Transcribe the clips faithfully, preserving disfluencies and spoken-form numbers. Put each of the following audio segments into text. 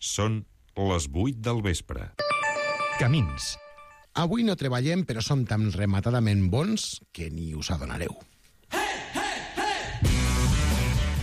Són les vuit del vespre. Camins. Avui no treballem, però som tan rematadament bons que ni us adonareu.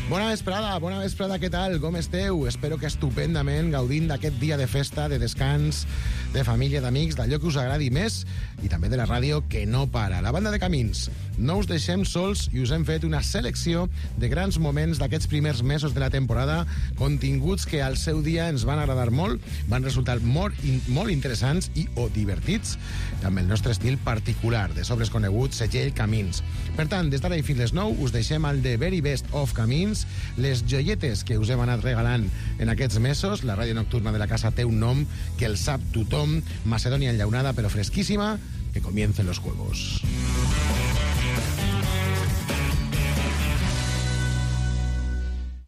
Bona vesprada, bona vesprada, què tal? Com esteu? Espero que estupendament, gaudint d'aquest dia de festa, de descans, de família, d'amics, d'allò que us agradi més i també de la ràdio que no para. La banda de Camins. No us deixem sols i us hem fet una selecció de grans moments d'aquests primers mesos de la temporada, continguts que al seu dia ens van agradar molt, van resultar molt, in, molt interessants i o divertits, amb el nostre estil particular, de sobres coneguts, segell Camins. Per tant, des d'ara i fins les nou us deixem el The Very Best of Camins, les joietes que us hem anat regalant en aquests mesos. La ràdio nocturna de la casa té un nom que el sap tothom, Macedònia enllaunada però fresquíssima. Que comiencen los juegos.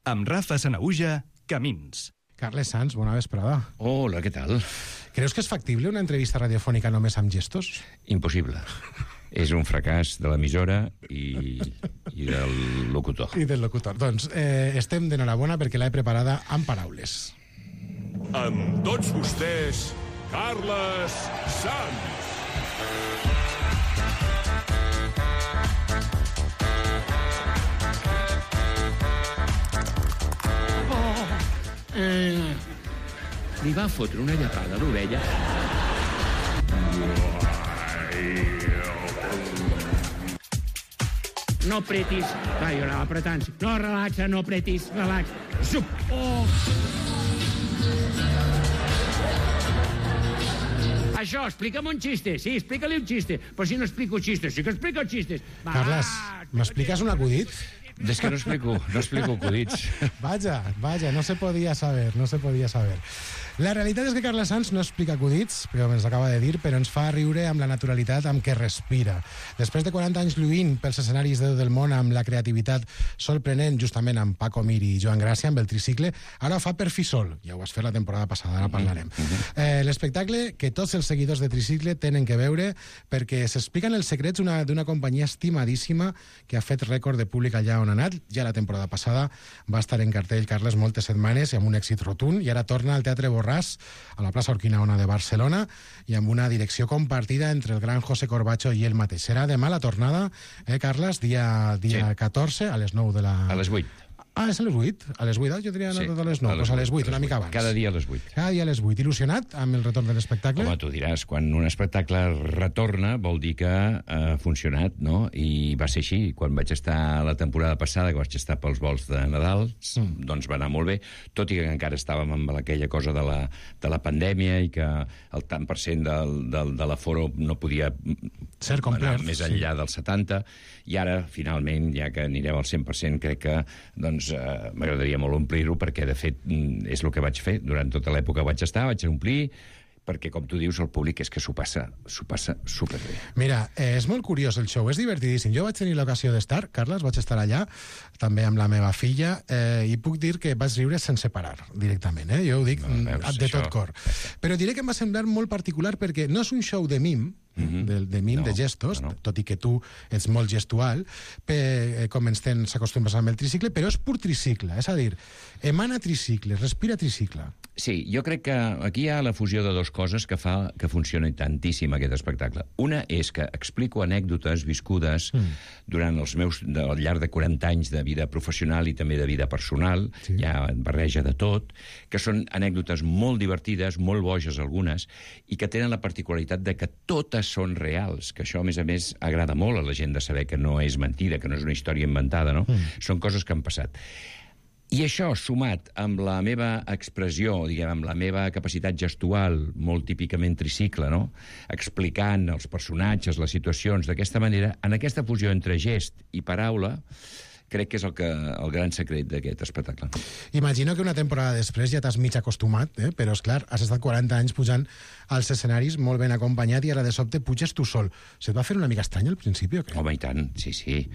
Amb Rafa Sanahuja, Camins. Carles Sanz, bona vesprada. Hola, què tal? Creus que és factible una entrevista radiofònica només amb gestos? Impossible. És un fracàs de l'emissora i, i del locutor. I del locutor. Doncs eh, estem d'enhorabona perquè l'he preparada amb paraules. Amb tots vostès, Carles Sanz. Oh, eh, li va fotre una llapada a l'orella. No apretis. Va, jo anava apretant. No, relaxa, no apretis, relaxa. Zup! Oh! Això, explica'm un xiste. Sí, explica-li un xiste. Però si no explico xistes, sí que explico xistes. Va, Carles, m'expliques un acudit? És que no explico, no explico acudits. Vaja, vaja, no se podia saber, no se podia saber. La realitat és que Carles Sanz no explica acudits, però ens acaba de dir, però ens fa riure amb la naturalitat amb què respira. Després de quaranta anys lluint pels escenaris de del món amb la creativitat sorprenent, justament amb Paco Mir i Joan Gràcia, amb el tricicle, ara ho fa per fi sol. Ja ho vas fer la temporada passada, ara parlarem. Eh, l'espectacle que tots els seguidors de tricicle tenen que veure perquè s'expliquen els secrets d'una companyia estimadíssima que ha fet rècord de públic allà on ha anat. Ja la temporada passada va estar en cartell Carles moltes setmanes i amb un èxit rotund, i ara torna al Teatre Borràs, a la plaça Urquinaona de Barcelona, i amb una direcció compartida entre el gran José Corbacho i ell mateix. Serà demà la tornada, eh, Carles? Dia, dia sí. catorze, a les nou de la... A les vuit. Ah, és a les vuit? A les vuit, jo tenia anat sí, a les nou, doncs a les vuit, una mica abans. Cada dia a les vuit. Cada dia a les vuit. Il·lusionat amb el retorn de l'espectacle? Home, tu diràs, quan un espectacle retorna vol dir que ha funcionat, no? I va ser així. Quan vaig estar la temporada passada, que vaig estar pels vols de Nadal, mm. doncs va anar molt bé, tot i que encara estàvem amb aquella cosa de la, de la pandèmia i que el tant per cent del, del, de l'aforo no podia ser complet, anar més enllà sí. del setanta, i ara, finalment, ja que anirem al cent per cent, crec que, doncs, Uh, m'agradaria molt omplir-ho, perquè de fet és el que vaig fer durant tota l'època que vaig estar, vaig omplir, perquè com tu dius el públic és que s'ho passa, s'ho passa superbé. Mira, eh, és molt curiós el show, és divertidíssim. Jo vaig tenir l'ocasió d'estar, Carles, vaig estar allà també amb la meva filla, eh, i puc dir que vaig riure sense parar directament, eh? Jo ho dic no, veus, de tot cor. Però diré que em va semblar molt particular perquè no és un show de mim, Mm-hmm. de, de mim, no, de gestos, no, no. tot i que tu ets molt gestual, pe, com ens tens acostumbrats amb el tricicle, però és pur tricicle, és a dir, emana tricicle, respira tricicle. Sí, jo crec que aquí hi ha la fusió de dues coses que fa que funcioni tantíssim aquest espectacle. Una és que explico anècdotes viscudes mm. durant els meus, de, al llarg de quaranta anys de vida professional i també de vida personal, sí. hi ha barreja de tot, que són anècdotes molt divertides, molt boges algunes, i que tenen la particularitat de que totes són reals, que això, a més a més, agrada molt a la gent de saber que no és mentida, que no és una història inventada, no? Mm. Són coses que han passat. I això, sumat amb la meva expressió, diguem, amb la meva capacitat gestual, molt típicament tricicle, no? Explicant els personatges, les situacions, d'aquesta manera, en aquesta fusió entre gest i paraula, crec que és el, que, el gran secret d'aquest espectacle. Imagino que una temporada després ja t'has mig acostumat, eh? Però, esclar, has estat quaranta anys pujant als escenaris molt ben acompanyat i ara de sobte puges tu sol. Se't va fer una mica estrany al principi o què? Home, i tant, sí, sí.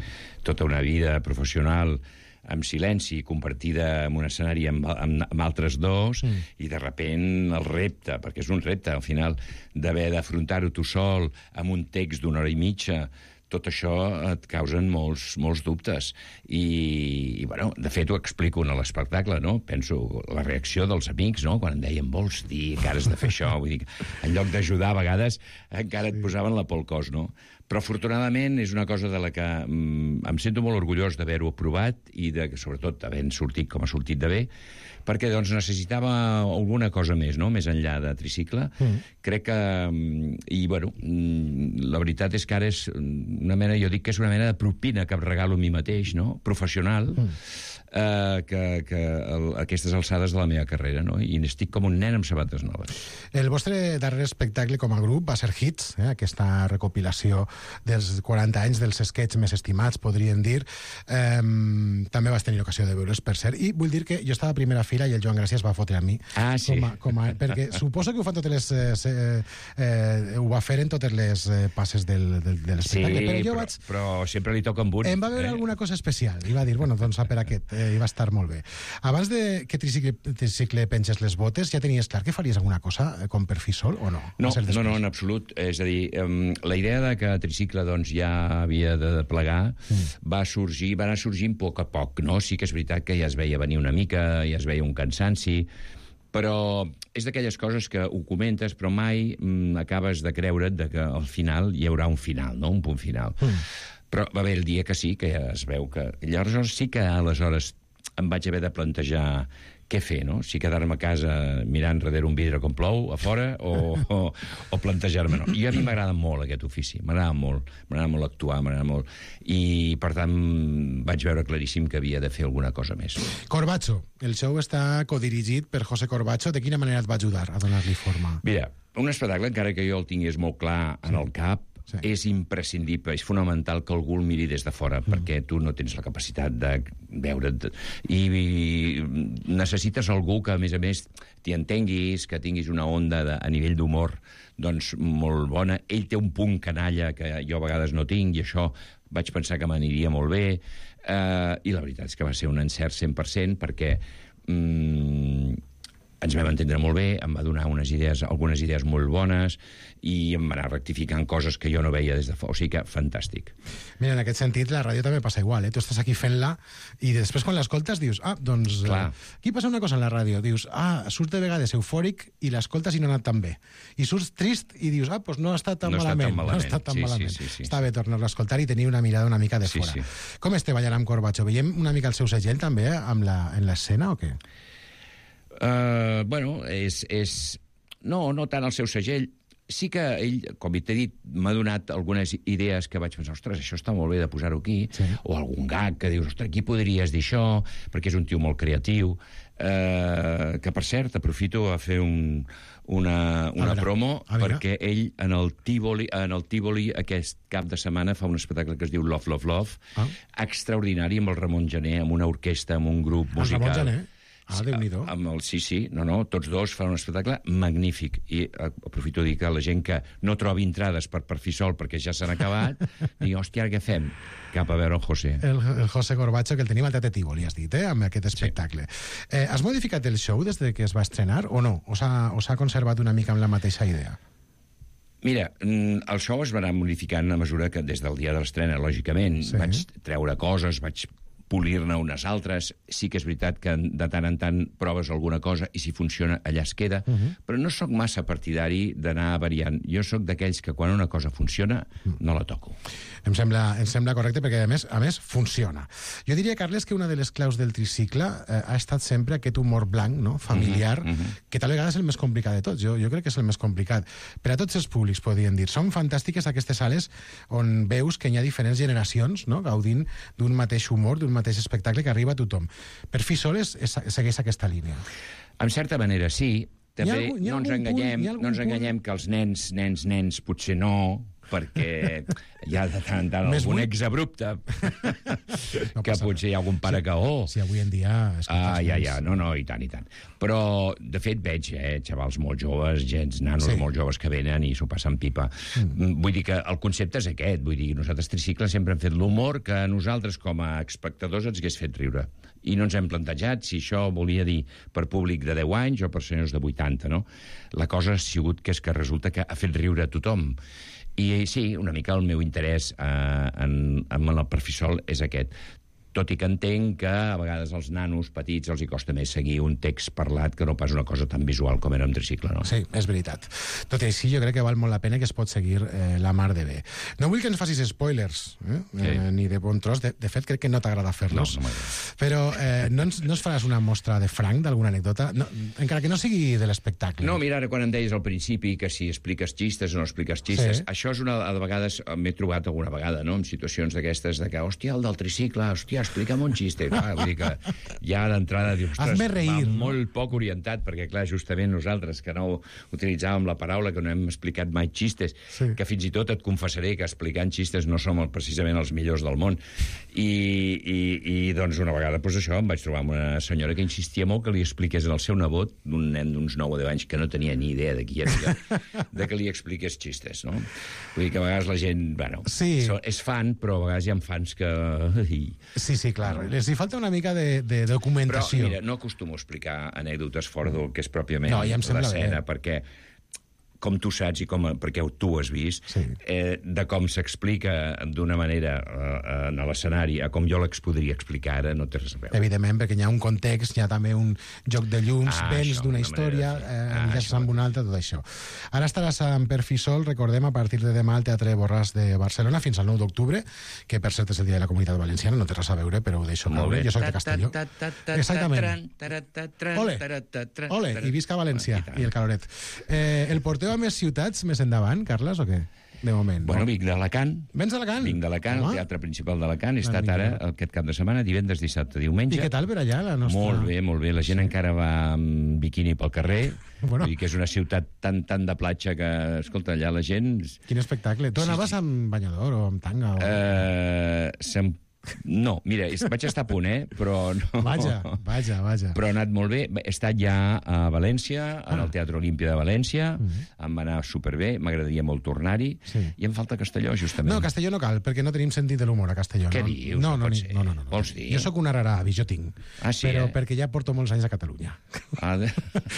Tota una vida professional amb silenci, compartida en un escenari amb, amb, amb altres dos, mm. i de repent el repte, perquè és un repte, al final, d'haver d'afrontar-ho tu sol, amb un text d'una hora i mitja, tot això et causen molts, molts dubtes. I, i, bueno, de fet, ho explico en l'espectacle, no? Penso la reacció dels amics, no? Quan em deien, vols dir que ara has de fer això? Vull dir, en lloc d'ajudar, a vegades, encara et posaven la por al cos, no? Però, afortunadament, és una cosa de la que mm, em sento molt orgullós d'haver-ho aprovat i, de, sobretot, havent sortit com ha sortit de bé, perquè doncs, necessitava alguna cosa més, no? Més enllà de tricicle. Mm. Crec que... I, bueno, la veritat és que ara és una mena... Jo dic que és una mena de propina que em regalo a mi mateix, no? Professional, mm. eh, que, que el, aquestes alçades de la meva carrera, no? I estic com un nen amb sabates noves. El vostre darrer espectacle com a grup va ser Hits, eh? Aquesta recopilació dels quaranta anys dels sketches més estimats, podríem dir. Eh, també vas tenir ocasió de veure's, per cert. I vull dir que jo estava a primera fila i el Joan Gràcia es va fotre a mi. Ah, sí. Com a, com a, perquè suposo que ho fan totes les... Eh, eh, ho va fer en totes les eh, passes del, del, de l'espectacle. Sí, però jo però, vaig... però sempre li toca amb un. Em va veure eh? alguna cosa especial. I va dir, bueno, doncs a per aquest. Eh, I va estar molt bé. Abans de que Tricicle, tricicle penges les botes, ja tenies clar que faries alguna cosa com per fi sol o no? No, no, no, en absolut. És a dir, um, la idea de que Tricicle doncs, ja havia de plegar mm. va sorgir, va anar sorgint a poc a poc, no? Sí que és veritat que ja es veia venir una mica, ja es veia un cansanci, però és d'aquelles coses que ho comentes, però mai mm, acabes de creure't de que al final hi haurà un final, no? Un punt final. Mm. Però va haver el dia que sí, que ja es veu que... Llavors sí que aleshores em vaig haver de plantejar què fer, no? Si quedar-me a casa mirant darrere un vidre com plou, a fora, o, o, o plantejar-me, no? I a mi m'agrada molt aquest ofici, m'agrada molt, m'agrada molt actuar, m'agrada molt, i per tant vaig veure claríssim que havia de fer alguna cosa més. Corbacho, el show està codirigit per José Corbacho, de quina manera et va ajudar a donar-li forma? Mira, un espectacle, encara que jo el tingués molt clar en el cap, sí. És imprescindible, és fonamental que algú el miri des de fora, mm. perquè tu no tens la capacitat de veure't, i, i necessites algú que, a més a més, t'hi entenguis, que tinguis una onda de, a nivell d'humor doncs molt bona. Ell té un punt canalla que jo a vegades no tinc, i això vaig pensar que m'aniria molt bé, eh, i la veritat és que va ser un encert cent per cent, perquè mm, ens vam entendre molt bé, em va donar unes idees, algunes idees molt bones, i em va anar rectificant coses que jo no veia des de fora. O sigui que, fantàstic. Mira, en aquest sentit, la ràdio també passa igual, eh? Tu estàs aquí fent-la, i després quan l'escoltes dius, ah, doncs... Clar. Eh, aquí passa una cosa en la ràdio, dius, ah, surts de vegades eufòric i l'escoltes i no ha anat tan bé. I surts trist i dius, ah, doncs no ha estat tan no malament. Tan malament. No ha estat tan sí, malament. Sí, sí, sí. Està bé tornar-lo a escoltar i tenir una mirada una mica de sí, fora. Sí. Com este ballant amb Corbacho? Veiem una mica el seu segell també amb la, en l'escena o què? Uh, bueno, és, és... No, no tant el seu segell. Sí que ell, com t'he dit, m'ha donat algunes idees que vaig pensar, ostres, això està molt bé de posar-ho aquí, sí. O algun gag que dius, ostres, aquí podries dir això, perquè és un tio molt creatiu, eh, que, per cert, aprofito a fer un, una, una veure, promo, perquè ell, en el, Tívoli, en el Tívoli, aquest cap de setmana, fa un espectacle que es diu Love, Love, Love, ah. extraordinari, amb el Ramon Gené, amb una orquestra, amb un grup el musical. Ramon Gené? Ah, Déu-n'hi-do. Amb el, sí, sí, no, no, tots dos fan un espectacle magnífic. I aprofito a dir que la gent que no trobi entrades per, per fi sol perquè ja s'han acabat, digui, hòstia, què fem? Cap a veure el José. El, el José Corbacho, que el tenim al Teatre Tívoli, has dit, eh, amb aquest espectacle. Sí. Eh, has modificat el show des de que es va estrenar o no? O s'ha conservat una mica amb la mateixa idea? Mira, el show es va anar modificant a mesura que des del dia de l'estrena, lògicament, sí. Vaig treure coses, vaig polir-ne unes altres. Sí que és veritat que de tant en tant proves alguna cosa i si funciona allà es queda, uh -huh. però no sóc massa partidari d'anar variant. Jo sóc d'aquells que quan una cosa funciona no la toco. Em sembla, em sembla correcte perquè a més, a més funciona. Jo diria, Carles, que una de les claus del tricicle eh, ha estat sempre aquest humor blanc, no? Familiar, uh -huh. que tal vegada és el més complicat de tots. Jo, jo crec que és el més complicat. Per a tots els públics, podríem dir. Són fantàstiques aquestes sales on veus que hi ha diferents generacions, no? Gaudint d'un mateix humor, d'un mateix espectacle que arriba a tothom. Per fi sol és, és, segueix aquesta línia. En certa manera, sí. També algun, no ens enganyem, punt, no ens enganyem que els nens, nens, nens, potser no, perquè hi ha de tant en tant Més algun buit. exabrupte no que potser hi ha algun pare sí, que oh. Si avui en dia... Ah, ja, ja, no, no, i tant, i tant. Però, de fet, veig, eh, xavals molt joves, gens, nanos sí. molt joves que venen i s'ho passen pipa. Mm. Vull dir que el concepte és aquest, vull dir, nosaltres Tricicle sempre hem fet l'humor que a nosaltres, com a espectadors, ens hagués fet riure. I no ens hem plantejat si això volia dir per públic de deu anys o per senyors de vuitanta, no? La cosa ha sigut que és que resulta que ha fet riure a tothom. I sí, una mica el meu interès eh, en, en el Perfisol és aquest. Tot i que entenc que a vegades als nanos petits els hi costa més seguir un text parlat que no pas una cosa tan visual com era un tricicle, no? Sí, és veritat. Tot i així, jo crec que val molt la pena que es pot seguir eh, la mar de bé. No vull que ens facis spoilers, eh? Sí. Eh, ni de bon tros. De, de fet, crec que no t'agrada fer-los. No, no m'agrada. Però eh, no, ens, no ens faràs una mostra de franc d'alguna anècdota? No, encara que no sigui de l'espectacle. No, mira, ara quan em deies al principi que si expliques xistes o no expliques xistes, Sí. això és una... A vegades m'he trobat alguna vegada, no?, en situacions d'aquestes de que, hòstia, el del tricicle, hòstia, explica'm un xiste. Clar, vull dir que ja d'entrada dius, ostres, Hazme reír, va no? molt poc orientat, perquè, clar, justament nosaltres, que no utilitzàvem la paraula, que no hem explicat mai xistes, Sí. que fins i tot et confessaré que explicant xistes no som el, precisament els millors del món. I, i, i doncs, una vegada, doncs això, em vaig trobar amb una senyora que insistia molt que li expliqués al seu nebot, un nen d'uns nou o deu anys, que no tenia ni idea de qui era, de que li expliqués xistes, no? Vull dir que a vegades la gent, bueno, Sí. so- és fan, però a vegades hi ha fans que... Sí, sí, clar. Les hi falta una mica de, de Però, documentació. mira, no acostumo a explicar anècdotes fora del que és pròpiament No, ja em sembla l'escena, bé. perquè com tu saps i com, perquè tu ho has vist, Sí. eh, de com s'explica d'una manera eh, en l'escenari a com jo l'ex podria explicar ara, no té res a veure. Evidentment, perquè hi ha un context, hi ha també un joc de llums, Ah, vents això, d'una una història, manera de fer. eh, Ah, enllaços això. amb una altra, tot això. Ara estaràs en Perfisol, recordem, a partir de demà al Teatre Borràs de Barcelona fins al nou d'octubre, que per cert és el dia de la Comunitat Valenciana, no té res a veure, però ho deixo Molt caure. bé. Jo soc de Castelló. Exactament. Ole, ole, i visca València, i el caloret. Eh, el porteu a més ciutats més endavant, Carles, o què? De moment. Bueno, no? vinc d'Alacant. Vens d'Alacant? Vinc d'Alacant, Home. el Teatre Principal d'Alacant. He Ah, estat vinga. ara aquest cap de setmana, divendres, dissabte, diumenge. I què tal per allà, la nostra... Molt bé, molt bé. La gent encara va amb biquini pel carrer. Bueno. Vull dir que és una ciutat tan, tan de platja que, escolta, allà la gent... Quin espectacle. Tu Sí, anaves sí. amb banyador o amb tanga? O... Eh, se'm... No, mira, és- vaig estar a punt, eh? Però no... Vaja, vaja, vaja. Però ha anat molt bé. He estat ja a València, en Ah. el Teatre Olímpia de València. Em va anar superbé, m'agradaria molt tornar-hi. Sí. I em falta Castelló, justament. No, a Castelló no cal, perquè no tenim sentit de l'humor a Castelló. Què no? dius? No, No no, pot ni- ser. no, no, no, no. Vols dir? Jo sóc un araravi, jo tinc. Ah, sí, Però eh? perquè ja porto molts anys a Catalunya. Ah, de...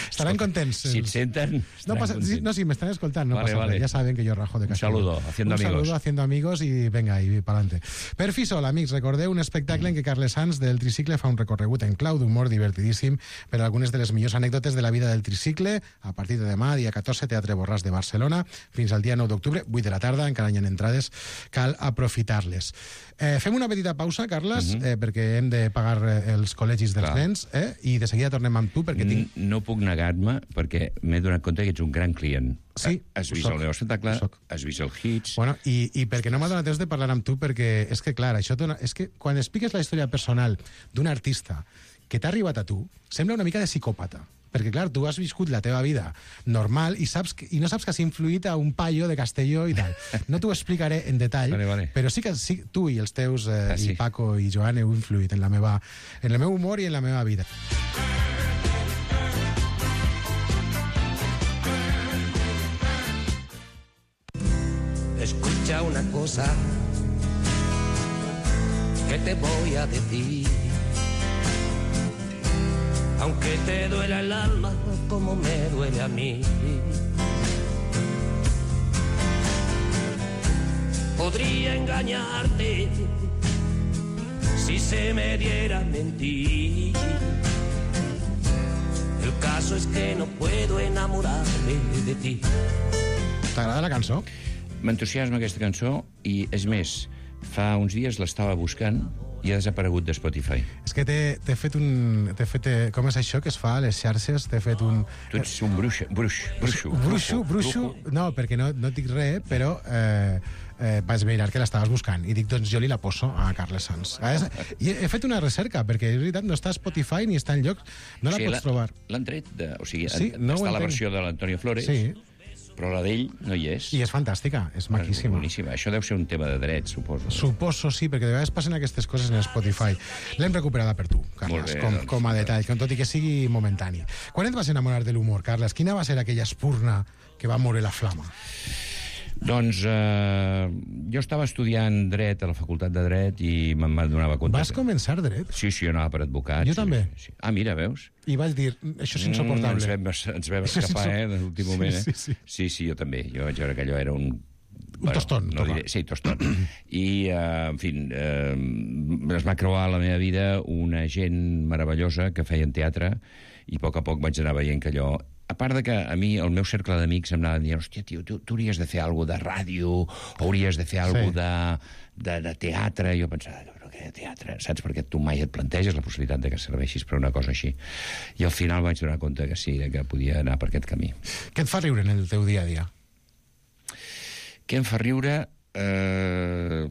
Estaran contents. Si et els- senten, No, estaran pasa, sí, contents. no, si me están escoltando, no Vale, pasa vale. nada. Ya saben que yo rajo de Un Castelló. saludo, haciendo un amigos. saludo, haciendo amigos y venga, y para adelante. Perfisol, amics, recordeu un espectacle en què Carles Sans del Tricicle fa un recorregut en clau d'humor divertidíssim per a algunes de les millors anècdotes de la vida del Tricicle a partir de demà, dia catorze, Teatre Borràs de Barcelona, fins al dia nou d'octubre, vuit de la tarda, encara hi ha entrades, cal aprofitar-les. Eh, fem una petita pausa, Carles, eh, perquè hem de pagar eh, els col·legis dels Clar. nens, eh, i de seguida tornem amb tu, perquè tinc... N- No puc negar-me, perquè m'he donat compte que ets un gran client. Sí, Has ho vist soc, el meu espectacle, ho soc. has vist el Hits... Bueno, i, i perquè no m'ha donat temps de parlar amb tu, perquè és que, clar, això dona, és que quan expliques la història personal d'un artista que t'ha arribat a tu, sembla una mica de psicòpata. Perquè, clar, tu has viscut la teva vida normal i, saps que, i no saps que has influït a un paio de Castelló i tal. No t'ho explicaré en detall, Vale, vale. però sí que sí, tu i els teus, eh, Ah, sí. i Paco i Joan, heu influït en, la meva, en el meu humor i en la meva vida. Escucha una cosa que te voy a decir. Aunque te duela el alma como me duele a mí. Podría engañarte si se me diera mentir. El caso es que no puedo enamorarme de ti. T'agrada la cançó? M'entusiasma aquesta cançó i, és més, fa uns dies l'estava buscant i ha desaparegut de Spotify. És que t'he t'he fet un... T'he fet, eh, com és això que es fa a les xarxes? T'he fet un... Tu ets un bruix, bruix, bruixo. Bruixo, bruixo... No, perquè no, no et dic res, però eh, eh, vaig mirar que l'estaves buscant i dic, doncs jo li la poso a Carles Sans. I he, he fet una recerca, perquè és veritat, no està a Spotify ni està en lloc, no la O sigui, pots trobar. L'han tret de... O sigui, Sí, en- no ho està la entenc. versió de l'Antonio Flores, Sí, però la d'ell no hi és. i és fantàstica, és És maquíssima. boníssima. Això deu ser un tema de drets, suposo. Suposo, sí, perquè de vegades passen aquestes coses en Spotify. L'hem recuperada per tu, Carles, Molt bé, com, doncs, com a detall, com tot i que sigui momentani. Quan et vas enamorar de l'humor, Carles? Quina va ser aquella espurna que va moure la flama? Doncs eh, jo estava estudiant dret a la Facultat de Dret i me'n donava compte... Vas que- començar dret? Sí, sí, jo anava per advocat. Jo sí, també. Sí. Ah, mira, veus? I vas dir, això és Mm, insoportable. ens vam, ens vam Això és escapar, insop- eh, de l'últim moment, eh? Sí, sí, sí. sí, sí, jo també. Jo vaig veure que allò era un Un bueno, tostón. No diré, sí, tostón. I, eh, en fi, eh, es va creuar a la meva vida una gent meravellosa que feien teatre i a poc a poc vaig anar veient que allò... A part de que a mi el meu cercle d'amics em anaven dient hòstia, tio, tu, tu hauries de fer alguna de ràdio, o hauries de fer alguna sí. de, de, de teatre. I jo pensava, però què de teatre? Saps? Perquè tu mai et planteges la possibilitat de que serveixis per una cosa així. I al final vaig donar compte que sí, que podia anar per aquest camí. Què et fa riure en el teu dia a dia? Què em fa riure? Eh...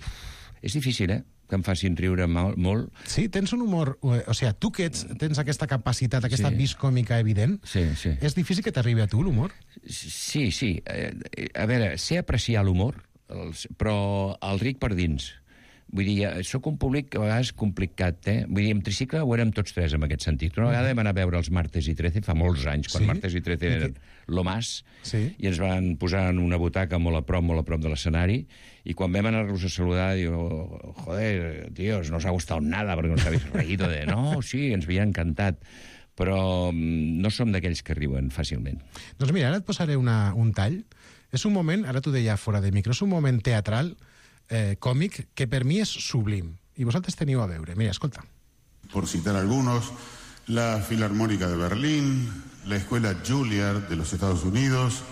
És difícil, eh? Que em facin riure mal, molt. Sí, tens un humor... O sigui, tu que ets, tens aquesta capacitat, aquesta sí. vis còmica evident, sí, sí. és difícil que t'arribi a tu l'humor? Sí, sí. Eh, a veure, sé apreciar l'humor, però el ric per dins. Vull dir, sóc un públic a vegades complicat, eh? Vull dir, en tricicle ho érem tots tres en aquest sentit. Una vegada vam anar a veure els Martes i Trece fa molts anys, quan sí? Martes i Trece eren lo más, sí? I ens van posar en una butaca molt a prop, molt a prop de l'escenari, i quan vam anar-los a saludar, diu, joder, tios, no os ha gustat nada, perquè nos habéis reído de... No, sí, ens havia encantat, però no som d'aquells que riuen fàcilment. Doncs mira, ara et posaré una, un tall. És un moment, ara t'ho deia fora de micro, és un moment teatral, Eh, còmic, que per mi és sublim. I vosaltres teniu a veure. Mira, escolta. Por citar algunos, la Filarmónica de Berlín, la Escuela Juilliard de los Estados Unidos,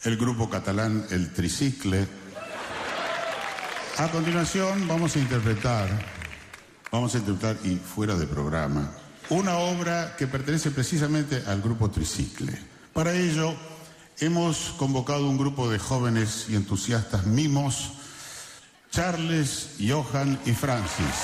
el grupo catalán El Tricicle. A continuación vamos a interpretar, vamos a interpretar y fuera de programa, una obra que pertenece precisamente al grupo Tricicle. Para ello, hemos convocado un grupo de jóvenes y entusiastas mimos, Charles, Johan i Francis.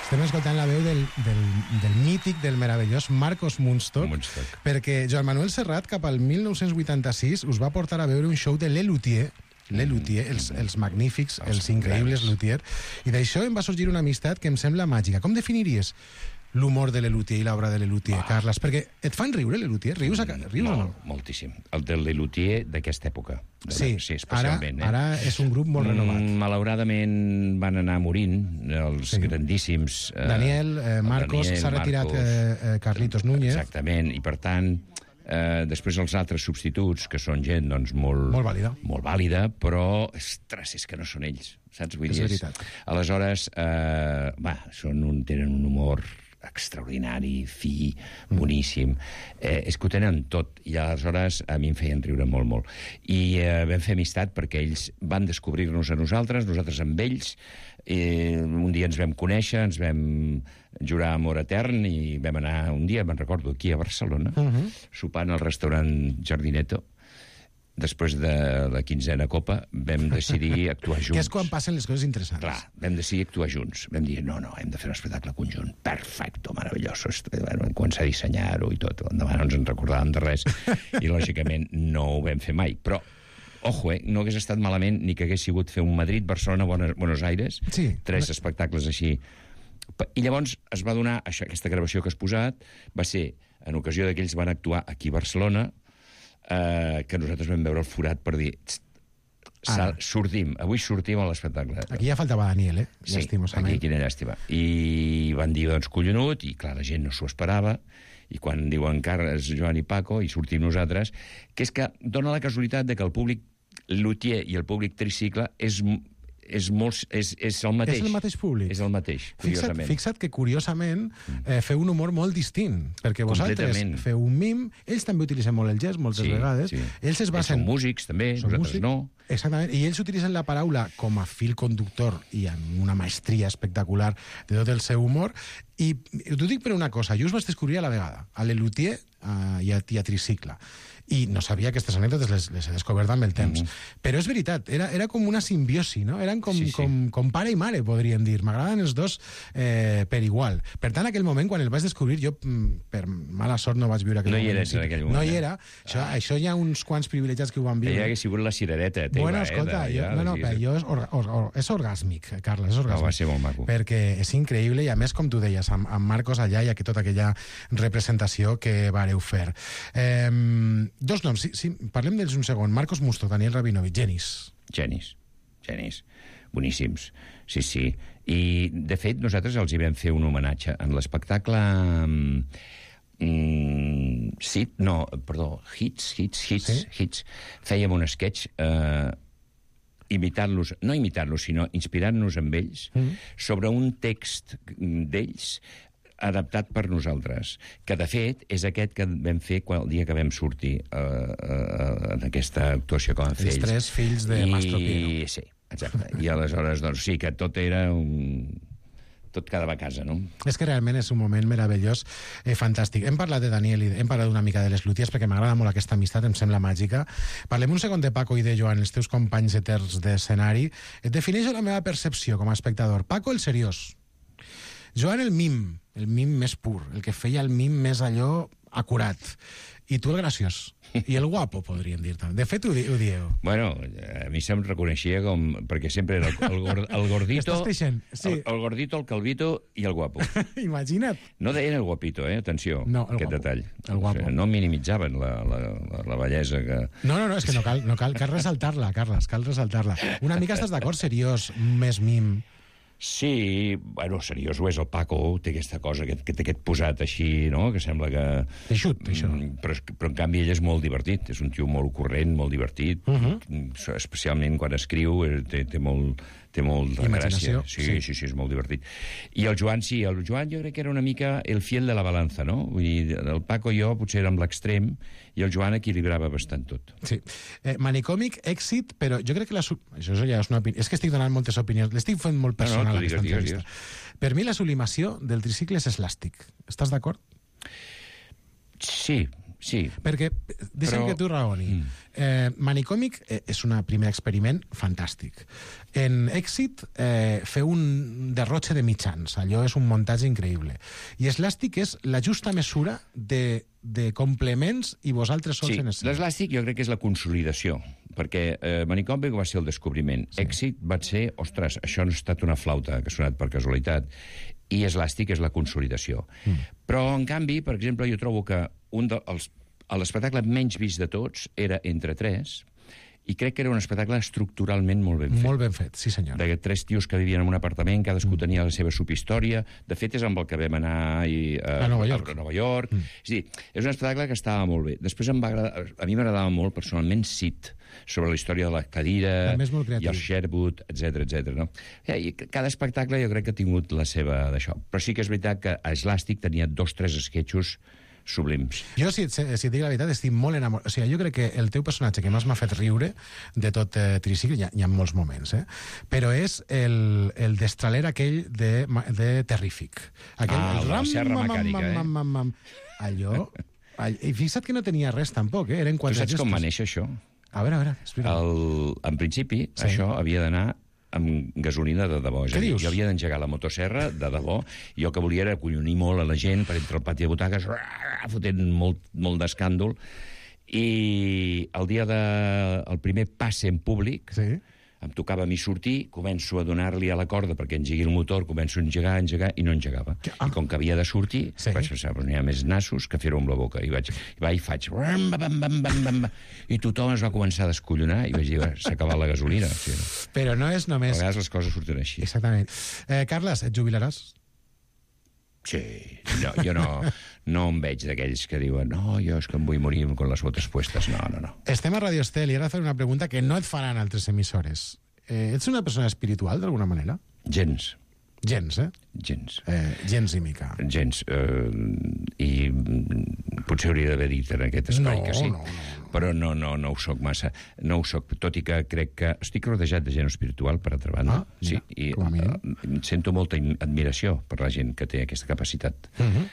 Estem escoltant la veu del, del, del mític, del meravellós Marcos Munstock, Munstock, perquè Joan Manuel Serrat, cap al mil nou-cents vuitanta-sis, us va portar a veure un show de Lelutier, Lelutier, els, els magnífics, els, els increïbles Luthier, i d'això em va sorgir una amistat que em sembla màgica. Com definiries l'humor de Lelutier i l'obra de Lelutier, ah. Carles? Perquè et fan riure, Lelutier? Rius, a, rius Molt, o no? Moltíssim. El de Lelutier d'aquesta època. De sí, la, sí especialment. Ara, eh? ara és un grup molt renovat. Mm, malauradament van anar morint els sí. grandíssims... Eh, Daniel, eh, Marcos, s'ha retirat eh, Carlitos Núñez. Exactament, i per tant... Eh, després els altres substituts, que són gent doncs, molt, molt vàlida, molt vàlida, però, ostres, és que no són ells, saps? Vull és dir, veritat. Aleshores, eh, va, són un, tenen un humor extraordinari, fi, boníssim. Eh, és que ho tenen tot, i aleshores a mi em feien riure molt, molt. I eh, vam fer amistat perquè ells van descobrir-nos a nosaltres, nosaltres amb ells. Eh, un dia ens vam conèixer, ens vam jurar amor etern i vam anar un dia, me'n recordo, aquí a Barcelona, uh -huh. sopant al restaurant Jardineto. Després de la quinzena copa vam decidir actuar junts. Que és quan passen les coses interessants. Clar, vam decidir actuar junts. Vam dir, no, no, hem de fer un espectacle conjunt. Perfecto, maravilloso. Vam començar a dissenyar-ho i tot. Endavant no ens en recordàvem de res. I, lògicament, no ho vam fer mai. Però, ojo, eh, no hagués estat malament ni que hagués sigut fer un Madrid, Barcelona, Buenos Aires, sí. tres espectacles així. I llavors es va donar, això, aquesta gravació que has posat, va ser en ocasió que ells van actuar aquí a Barcelona, eh, que nosaltres vam veure el forat per dir ah. sortim, avui sortim a l'espectacle. Aquí ja faltava Daniel, eh? Sí, aquí quina llàstima. I van dir, doncs, collonut, i clar, la gent no s'ho esperava, i quan diuen Carles, Joan i Paco, i sortim nosaltres, que és que dona la casualitat de que el públic Luthier i el públic Tricicle és... És, molt, és, és el mateix. És el mateix públic. És el mateix, fixa't, fixa't que, curiosament, eh, feu un humor molt distint, perquè vosaltres feu un mim, ells també utilitzen molt el gest, moltes sí, vegades. Sí. Ells es basen... Ells són músics, també, són nosaltres músics, no. Exactament, i ells utilitzen la paraula com a fil conductor i amb una maestria espectacular de tot el seu humor. I t'ho dic per una cosa, jo us vaig descobrir a la vegada, a Lelutier i a, a Tricicle. I no sabia aquestes anècdotes, les, les he descobert amb el temps. Mm-hmm. Però és veritat, era, era com una simbiosi, no? Eren com, sí, sí. com, com pare i mare, podríem dir. M'agraden els dos eh, per igual. Per tant, aquell moment, quan el vaig descobrir, jo, per mala sort, no vaig viure aquell no moment. No hi eres en aquell moment. No hi era. Ah. Això, això hi ha uns quants privilegiats que ho van viure. Ja hagués sigut la cirereta. Teva, bueno, escolta, eh, jo, no, no, però jo és, or, or, or, és orgàsmic, Carles, és orgàsmic. No, va ser molt maco. Perquè és increïble, i a més, com tu deies, amb, amb Marcos allà hi ha tota aquella representació que vareu fer. Eh, dos noms, sí, sí, parlem d'ells un segon. Marcos Munstock, Daniel Rabinovich, genis. Genis, genis. Boníssims. Sí, sí. I, de fet, nosaltres els hi vam fer un homenatge. En l'espectacle Mm, sí, no, perdó, Hits, Hits, Hits, Sí? Hits. Fèiem un sketch eh, imitant-los, no imitant-los, sinó inspirant-nos amb ells, mm. sobre un text d'ells adaptat per nosaltres, que de fet és aquest que vam fer quan, el dia que vam sortir uh, uh, en aquesta actuació que vam fer Els ells. tres fills de Mastro Pino. I, sí, exacte. I aleshores, doncs sí, que tot era un... tot quedava a casa, no? És que realment és un moment meravellós, eh, fantàstic. Hem parlat de Daniel i hem parlat una mica de les Lúties perquè m'agrada molt aquesta amistat, em sembla màgica. Parlem un segon de Paco i de Joan, els teus companys eterns d'escenari. Et defineixo la meva percepció com a espectador. Paco, el seriós. Joan, el mim, el mim més pur, el que feia el mim més allò acurat. I tu el graciós. I el guapo, podríem dir també. De fet, ho, di ho dieu. Bueno, a mi se'm reconeixia com... perquè sempre era el, el, gord, el gordito... Estàs creixent, sí. El, el gordito, el calvito i el guapo. Imagina't. No deien el guapito, eh? Atenció, No, el aquest guapo. detall. El guapo. O sigui, no minimitzaven la, la, la, la bellesa que... No, no, no, és que no cal, no cal, cal ressaltar-la, Carles, cal ressaltar-la. Una mica estàs d'acord, seriós, més mim. Sí, bueno, seriós ho és el Paco, té aquesta cosa, que, que té aquest posat així, no?, que sembla que... Eixut, això. Mm, Però, però en canvi ell és molt divertit, és un tio molt corrent, molt divertit, uh -huh. especialment quan escriu, eh, té, té molt... té molt de Imaginació, gràcia. Sí, sí. sí, sí, sí, és molt divertit. I el Joan, sí, el Joan jo crec que era una mica el fiel de la balança, no? Vull dir, el Paco i jo potser érem l'extrem i el Joan equilibrava bastant tot. Sí. Eh, manicòmic, èxit, però jo crec que la... Su- Això ja és una opinió. És que estic donant moltes opinions. L'estic fent molt personal, No, no, tu aquesta digues, digues, entrevista. Per mi la sublimació del tricicle és eslàstic. Estàs d'acord? Sí, sí. Perquè, deixa'm Però- que tu raoni. Mm. Eh, manicòmic eh, és un primer experiment fantàstic. En èxit, eh, fer un derrotxe de mitjans. Allò és un muntatge increïble. I eslàstic és la justa mesura de, de complements i vosaltres sols Sí, en escena. l'eslàstic jo crec que és la consolidació, perquè eh, Manicòmic va ser el descobriment. Sí. Èxit va ser, ostres, això no ha estat una flauta que ha sonat per casualitat, i eslàstic és la consolidació. Mm. Però, en canvi, per exemple, jo trobo que un dels l'espectacle menys vist de tots era Entre tres, i crec que era un espectacle estructuralment molt ben fet. Molt ben fet, sí senyor. De tres tios que vivien en un apartament, cadascú mm. tenia la seva subhistòria. De fet, és amb el que vam anar i, uh, a Nova York. A Nova York. Mm. És a dir, és un espectacle que estava molt bé. Després em va agradar, a mi m'agradava molt, personalment, Sid, sobre la història de la cadira També és molt creatiu. i el Sherwood, etcètera, etcètera. No? I cada espectacle jo crec que ha tingut la seva d'això. Però sí que és veritat que a Eslàstic tenia dos, tres esquetxos sublims. Jo, si et, si et dic la veritat, estic molt enamorat. O sigui, jo crec que el teu personatge que més m'ha fet riure de tot eh, Tricicle, hi, ha- hi ha molts moments, eh? Però és el, el destraler aquell de, ma- de Terrífic. Aquell, Ah, el de la serra mecànica, eh? mam, mam, mam. Allò... all- I fixa't que no tenia res, tampoc, eh? Eren Tu quatre saps com va gestos. néixer això? A veure, a veure, explica. El, en principi, Sí. sí. això havia d'anar amb gasolina de debò. És Què a dir, dius? jo havia d'engegar la motosserra de debò, i jo que volia era acollonir molt a la gent per entre el pati de butaques, fotent molt, molt d'escàndol, i el dia de... el primer passe en públic, Sí. em tocava a mi sortir, començo a donar-li a la corda perquè engegui el motor, començo a engegar, engegar, i no engegava. Que- ah. I com que havia de sortir, Sí. vaig pensar, doncs n'hi ha més nassos que fer-ho amb la boca. I vaig, i vaig i faig... Bam, bam, bam, bam, bam, bam, i tothom es va començar a descollonar, i vaig dir, s'ha acabat la gasolina. O sigui, Però no és a només... vegades les coses surten així. Exactament. Eh, Carles, et jubilaràs? Sí, no, jo no, no em veig d'aquells que diuen no, jo és que em vull morir con les botes puestes. No, no, no. Estem a Radio Estel i ara faré una pregunta que no et faran altres emissores. Eh, ets una persona espiritual, d'alguna manera? Gens, Gens, eh? gens. eh gens i mica. Gens. Eh, I mm, potser hauria d'haver dit en aquest espai No, que sí. no, no, no. Però no, no, no ho soc massa. No ho soc, tot i que crec que estic rodejat de gent espiritual, per altra banda. Ah, mira, sí, i com a mínim. eh, sento molta im- admiració per la gent que té aquesta capacitat. Uh -huh.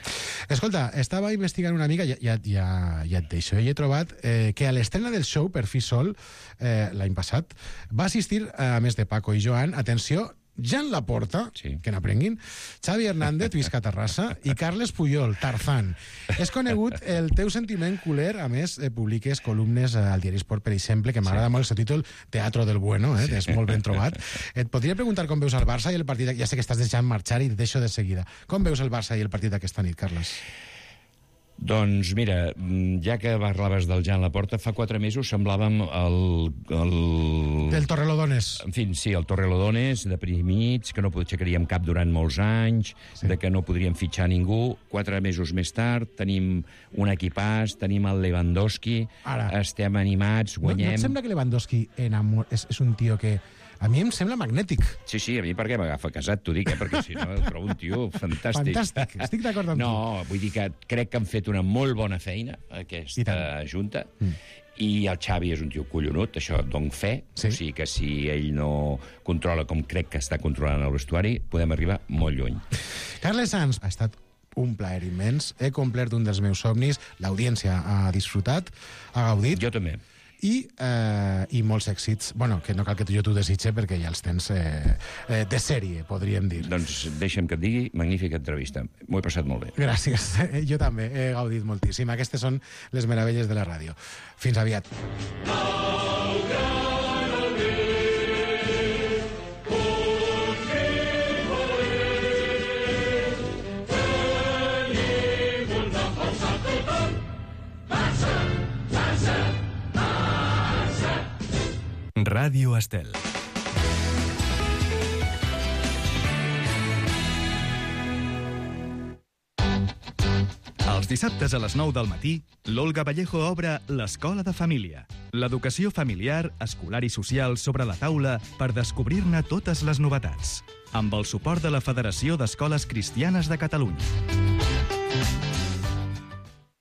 Escolta, estava investigant una mica, ja, ja, ja, ja et deixo, i he trobat eh, que a l'estrena del show Per fi sol, eh, l'any passat, va assistir, a més de Paco i Joan, atenció, Jan Laporta, Sí. que n'aprenguin, Xavi Hernández, visca Terrassa, i Carles Puyol, Tarzán. És conegut el teu sentiment culer, a més, eh, publiques columnes al Diari Esport, per exemple, que m'agrada sí. molt el seu títol, Teatro del Bueno, eh, sí. és molt ben trobat. Et podria preguntar com veus el Barça i el partit... Ja sé que estàs deixant marxar i et deixo de seguida. Com veus el Barça i el partit d'aquesta nit, Carles? Doncs mira, ja que parlaves del Jan Laporta, fa quatre mesos semblàvem el... el... Del Torrelodones. En fi, sí, el Torrelodones, deprimits, que no aixecaríem cap durant molts anys, sí. de que no podríem fitxar ningú. Quatre mesos més tard tenim un equipàs, tenim el Lewandowski, Ara. estem animats, guanyem... No, no et sembla que Lewandowski enamor... és, és un tio que... A mi em sembla magnètic. Sí, sí, a mi perquè m'agafa casat, t'ho dic, eh? Perquè si no el trobo un tio fantàstic. Fantàstic, estic d'acord amb no, tu. No, vull dir que crec que han fet una molt bona feina, aquesta junta, mm. i el Xavi és un tio collonut, això dono fe, sí. O sigui que si ell no controla com crec que està controlant el vestuari, podem arribar molt lluny. Carles Sans, ha estat un plaer immens, he complert un dels meus somnis, l'audiència ha disfrutat, ha gaudit. Jo també. I, eh, i molts èxits, bueno, que no cal que jo t'ho desitge perquè ja els tens eh, eh, de sèrie, podríem dir. Doncs deixa'm que et digui, magnífica entrevista. M'ho he passat molt bé. Gràcies. Jo també he gaudit moltíssim. Aquestes són les meravelles de la ràdio. Fins aviat. Ràdio Estel. Els dissabtes a les nou del matí, l'Olga Vallejo obre l'Escola de Família. L'educació familiar, escolar i social sobre la taula per descobrir-ne totes les novetats. Amb el suport de la Federació d'Escoles Cristianes de Catalunya.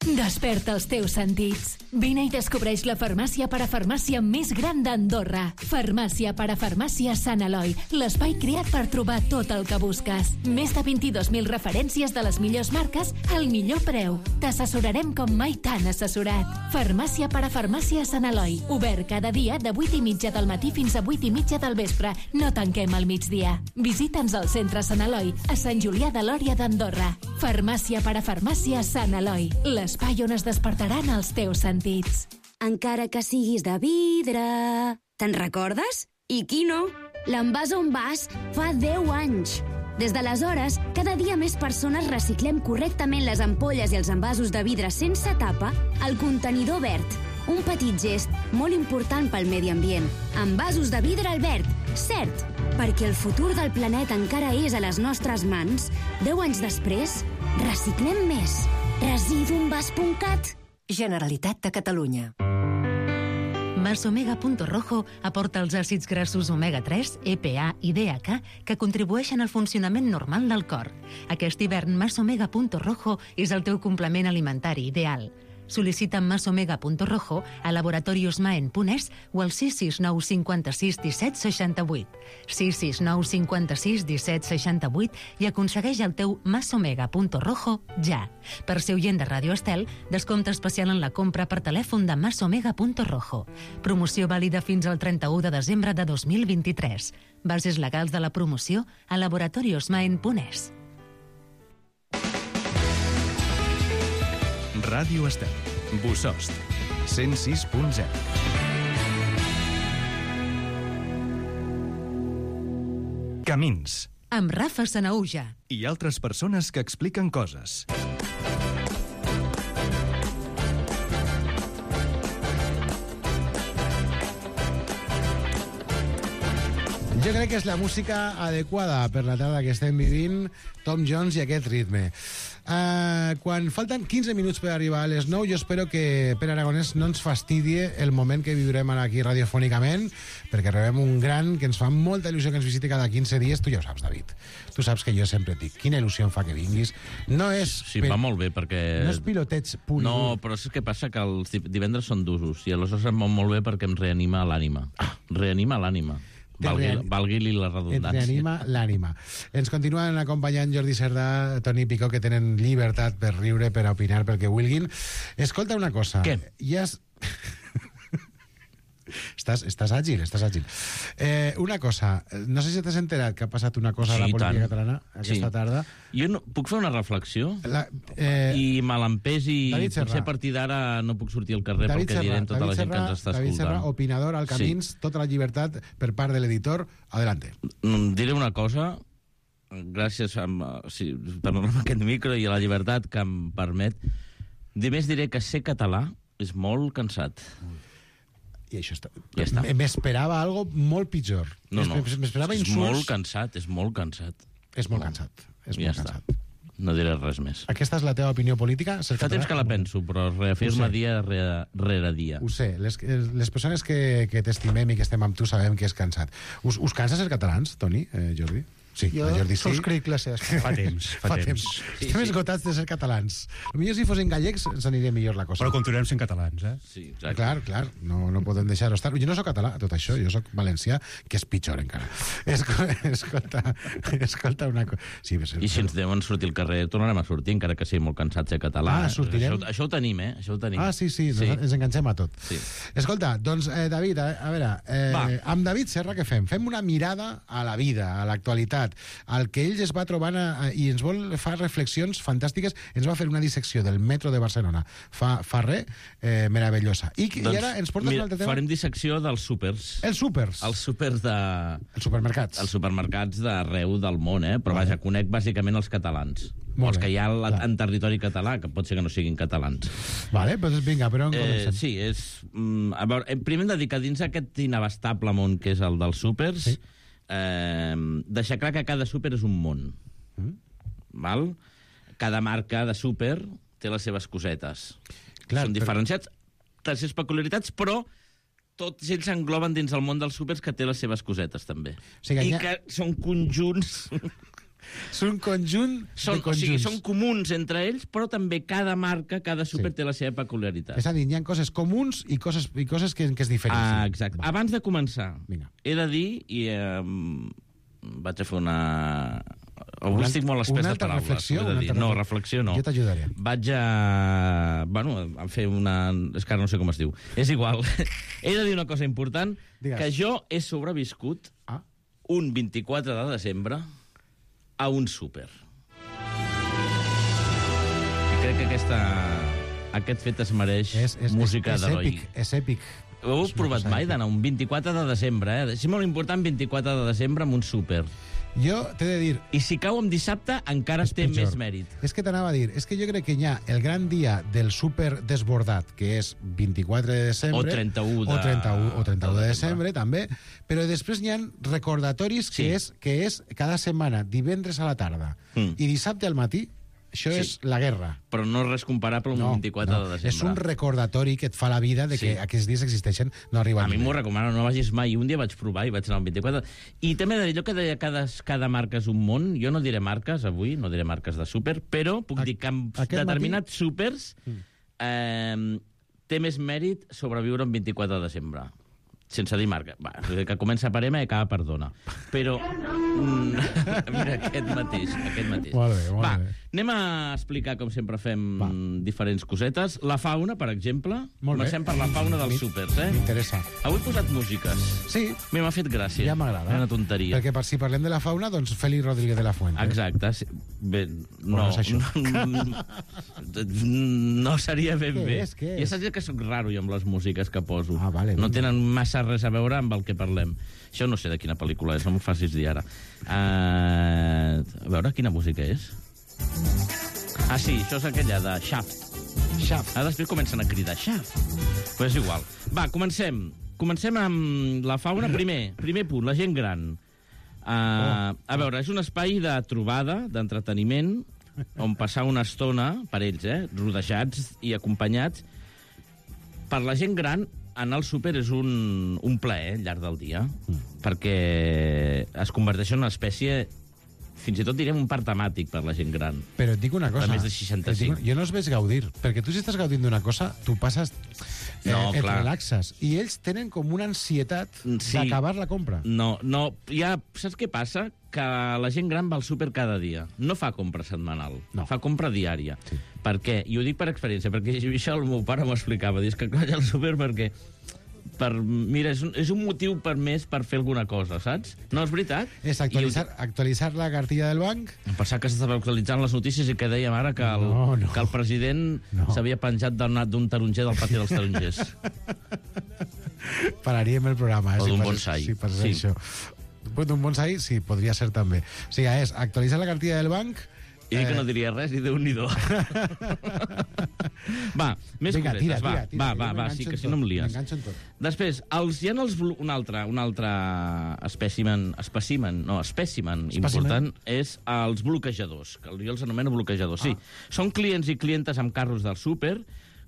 Desperta els teus sentits. Vine i descobreix la farmàcia parafarmàcia més gran d'Andorra. Farmàcia parafarmàcia Sant Eloi, l'espai creat per trobar tot el que busques. Més de vint-i-dos mil referències de les millors marques al millor preu. T'assessorarem com mai t'han assessorat. Farmàcia parafarmàcia Sant Eloi, obert cada dia de vuit i mitja del matí fins a vuit i mitja del vespre. No tanquem al migdia. Visita'ns al centre Sant Eloi, a Sant Julià de Lòria d'Andorra. Farmàcia parafarmàcia Sant Eloi, l'espai on es despertaran els teus sentits. Encara que siguis de vidre... Te'n recordes? I qui no? L'Envàs on vas fa deu anys. Des d'aleshores, cada dia més persones reciclem correctament les ampolles i els envasos de vidre sense tapa al contenidor verd. Un petit gest molt important pel medi ambient. Envasos de vidre al verd, cert, perquè el futur del planeta encara és a les nostres mans. Deu anys després, reciclem més. Residuenvas punt cat. Generalitat de Catalunya. Masomega Punto Rojo aporta els àcids grassos omega tres, E P A i D H A que contribueixen al funcionament normal del cor. Aquest hivern, Masomega Punto Rojo és el teu complement alimentari ideal. Sol·licita Masomega Punto Rojo a Laboratorios Maen punt es o al sis sis nou cinquanta-sis disset seixanta-vuit. sis sis nou cinquanta-sis disset seixanta-vuit i aconsegueix el teu Masomega Punto Rojo ja. Per ser oient de Ràdio Estel, descompte especial en la compra per telèfon de Masomega Punto Rojo. Promoció vàlida fins al trenta-u de desembre de dos mil vint-i-tres. Bases legals de la promoció a Laboratorios Maen punt es. Ràdio Estel. Bosost. cent sis punt zero. Camins. Amb Rafa Sanaüja. I altres persones que expliquen coses. Jo crec que és la música adequada per la tarda que estem vivint, Tom Jones i aquest ritme. Uh, quan falten quinze minuts per arribar a les nou, jo espero que Pere Aragonès no ens fastidie el moment que viurem ara aquí radiofònicament, perquè rebem un gran que ens fa molta il·lusió que ens visiti cada quinze dies. Tu ja ho saps, David. Tu saps que jo sempre et dic, quina il·lusió em fa que vinguis. No és... Sí, va molt bé, perquè... No és piloteig pur. No, però és que passa que els divendres són d'usos, i aleshores em va molt bé perquè em reanima l'ànima. Ah. Reanima l'ànima. Valgui-li valgui la redundància. Et reanima l'ànima. Ens continuen acompanyant Jordi Cerdà, Toni Picó, que tenen llibertat per riure, per opinar, pel que vulguin. Escolta una cosa. Què? Ja has... Estàs, estàs àgil, estàs àgil. Eh, una cosa, no sé si t'has enterat que ha passat una cosa sí, a la política tant. catalana aquesta sí. tarda. Jo no, puc fer una reflexió? La, eh, I me l'empès i potser a partir d'ara no puc sortir al carrer David perquè Serra, direm tota David la gent Serra, que ens està David escoltant. Serra, opinador al Camins, sí. Tota la llibertat per part de l'editor. Adelante. Diré una cosa, gràcies a, sí, per donar aquest micro i a la llibertat que em permet. Només diré que ser català és molt cansat. I això està... Ja està. M'esperava algo molt pitjor. No, no. M'esperava és insults... molt cansat, és molt cansat. És molt cansat. És ja molt està. cansat. No diré res més. Aquesta és la teva opinió política? Fa temps que la penso, però reafirma dia rere, rere dia. Ho sé. Les, les persones que, que t'estimem i que estem amb tu sabem que és cansat. Us, us cansa ser catalans, Toni, eh, Jordi? Sí, jo Jordi sí. subscric les seves. Fa temps, fa, fa temps. temps. Sí, Estem sí. esgotats de ser catalans. Potser si fossin gallecs ens aniria millor la cosa. Però continuem sent catalans, eh? Sí, exacte. Clar, clar, no, no podem deixar-ho estar. Jo no soc català, tot això, jo soc valencià, que és pitjor encara. Escolta, escolta una cosa. Sí, I si ens deuen sortir al carrer, tornarem a sortir, encara que sigui molt cansat ser català. Ah, sortirem? Això, això ho tenim, eh? Això ho tenim. Ah, sí, sí, sí. Ens, ens enganxem a tot. Sí. Escolta, doncs, eh, David, a, a veure, eh, amb David Serra què fem? Fem una mirada a la vida, a l'actualitat, al que ell es va trobant a, i ens vol fer reflexions fantàstiques. Ens va fer una dissecció del metro de Barcelona fa, fa res, eh, meravellosa. I, doncs, i ara ens portes mira, un altre tema? Farem dissecció dels súpers. Els súpers? Els súpers de... Els supermercats. Els supermercats d'arreu del món, eh? Però vaja, conec bàsicament els catalans. Molt els que bé, hi ha clar. en territori català, que pot ser que no siguin catalans. Vale, doncs vinga, però on eh, comencem? Sí, és... Mm, a veure, primer hem de dir que dins aquest inabastable món que és el dels súpers, sí. eh, deixar clar que cada súper és un món. Mm. Val? Cada marca de súper té les seves cosetes. Clar, són diferenciats, té les seves peculiaritats, però tots ells engloben dins el món dels súpers que té les seves cosetes, també. O sigui, I ha... que són conjunts... Són conjunt són, de conjunts. O sigui, són comuns entre ells, però també cada marca, cada súper sí. té la seva peculiaritat. És a dir, hi ha coses comuns i coses, i coses que, que es diferencien. Ah, exacte. Va. Abans de començar, Vinga. he de dir, i eh, vaig a fer una... Avui una, estic molt espès de paraules. Reflexió, de dir. Una no, reflexió no. Jo t'ajudaré. Vaig a... Bueno, a fer una... És que ara no sé com es diu. És igual. He de dir una cosa important, Digues. que jo he sobreviscut ah. un vint-i-quatre de desembre a un súper. I crec que aquesta, aquest fet es mereix és, és, música d'heroi. És èpic. Ho heu provat mai d'anar un vint-i-quatre de desembre, eh? És molt important vint-i-quatre de desembre amb un súper. Jo t'he de dir... I si cau en dissabte, encara té pitjor. Més mèrit. És que t'anava a dir, és que jo crec que hi ha el gran dia del súper desbordat, que és vint-i-quatre de desembre... O trenta-u de... O trenta-u, o trenta-u de, de desembre, també. Però després hi ha recordatoris que, sí. és, que és cada setmana, divendres a la tarda mm. i dissabte al matí. Això sí. és la guerra. Però no és res comparable amb no, un vint-i-quatre no. de desembre. És un recordatori que et fa la vida de que sí. aquests dies existeixen, no arriben. A mi m'ho recomano, no vagis mai. Un dia vaig provar i vaig anar al vint-i-quatre. I també de dir, allò que deia cada, cada marca és un món, jo no diré marques avui, no diré marques de súper, però puc a, dir que amb determinats matí... súpers eh, té més mèrit sobreviure un vint-i-quatre de desembre. Sense dir marca. Va, que comença per M i acaba per dona. Però... Mm, mira, aquest mateix. Aquest mateix. Molt bé, molt Va, bé. anem a explicar, com sempre fem, Va. diferents cosetes. La fauna, per exemple. Molt Comencem per la fauna dels súpers, eh? M'interessa. Avui he posat músiques. Sí. M'ha fet gràcia. Ja m'agrada. Una tonteria. Perquè per si parlem de la fauna, doncs Félix Rodríguez de la Fuente. Exacte. Bé, no. no, és això. no seria ben què bé. És, què ja és? saps que sóc raro jo amb les músiques que poso. Ah, vale, no vinga. tenen massa res a veure amb el que parlem. Això no sé de quina pel·lícula és, no m'ho facis dir ara. Uh, a veure, quina música és? Ah, sí, això és aquella de Shaft. Shaft. Ara després comencen a cridar Shaft. Però és igual. Va, comencem. Comencem amb la fauna. Primer, primer punt, la gent gran. Uh, oh. A veure, és un espai de trobada, d'entreteniment, on passar una estona, per ells, eh, rodejats i acompanyats. Per la gent gran, anar al súper és un, un plaer al llarg del dia, mm. perquè es converteix en una espècie, fins i tot direm un parc temàtic per la gent gran. Però et dic una cosa. De més de seixanta-cinc. Dic, jo no els veig gaudir, perquè tu si estàs gaudint d'una cosa, tu passes... Eh, no, et clar. relaxes. I ells tenen com una ansietat sí. d'acabar la compra. No, no. Ja, saps què passa? Que la gent gran va al súper cada dia. No fa compra setmanal. No. Fa compra diària. Sí. Per què? I ho dic per experiència, perquè això el meu pare m'ho explicava. Dius que vaig al súper perquè... Per, mira, és un, és un motiu per més per fer alguna cosa, saps? No, és veritat? És actualitzar, ho... actualitzar la cartilla del banc? Em pensava que s'estava actualitzant les notícies i que dèiem ara que el, no, no. que el president no. s'havia penjat d'un taronger del pati dels tarongers. Pararíem el programa. Eh, o si d'un pas, bonsai. Si passés sí. això. D'un bonsai, sí, podria ser també. O sigui, és actualitzar la cartilla del banc I eh... que no diria res, i Déu-n'hi-do. Va, més Vinga, cosetes, tira, va. tira, tira, va, va, jo va, sí, que si no em lies. M'enganxo en tot. Després, els, hi ha els, blo- un altre, un altre espècimen, espècimen, no, espècimen important, és els bloquejadors, que jo els anomeno bloquejadors. Sí, són clients i clientes amb carros del súper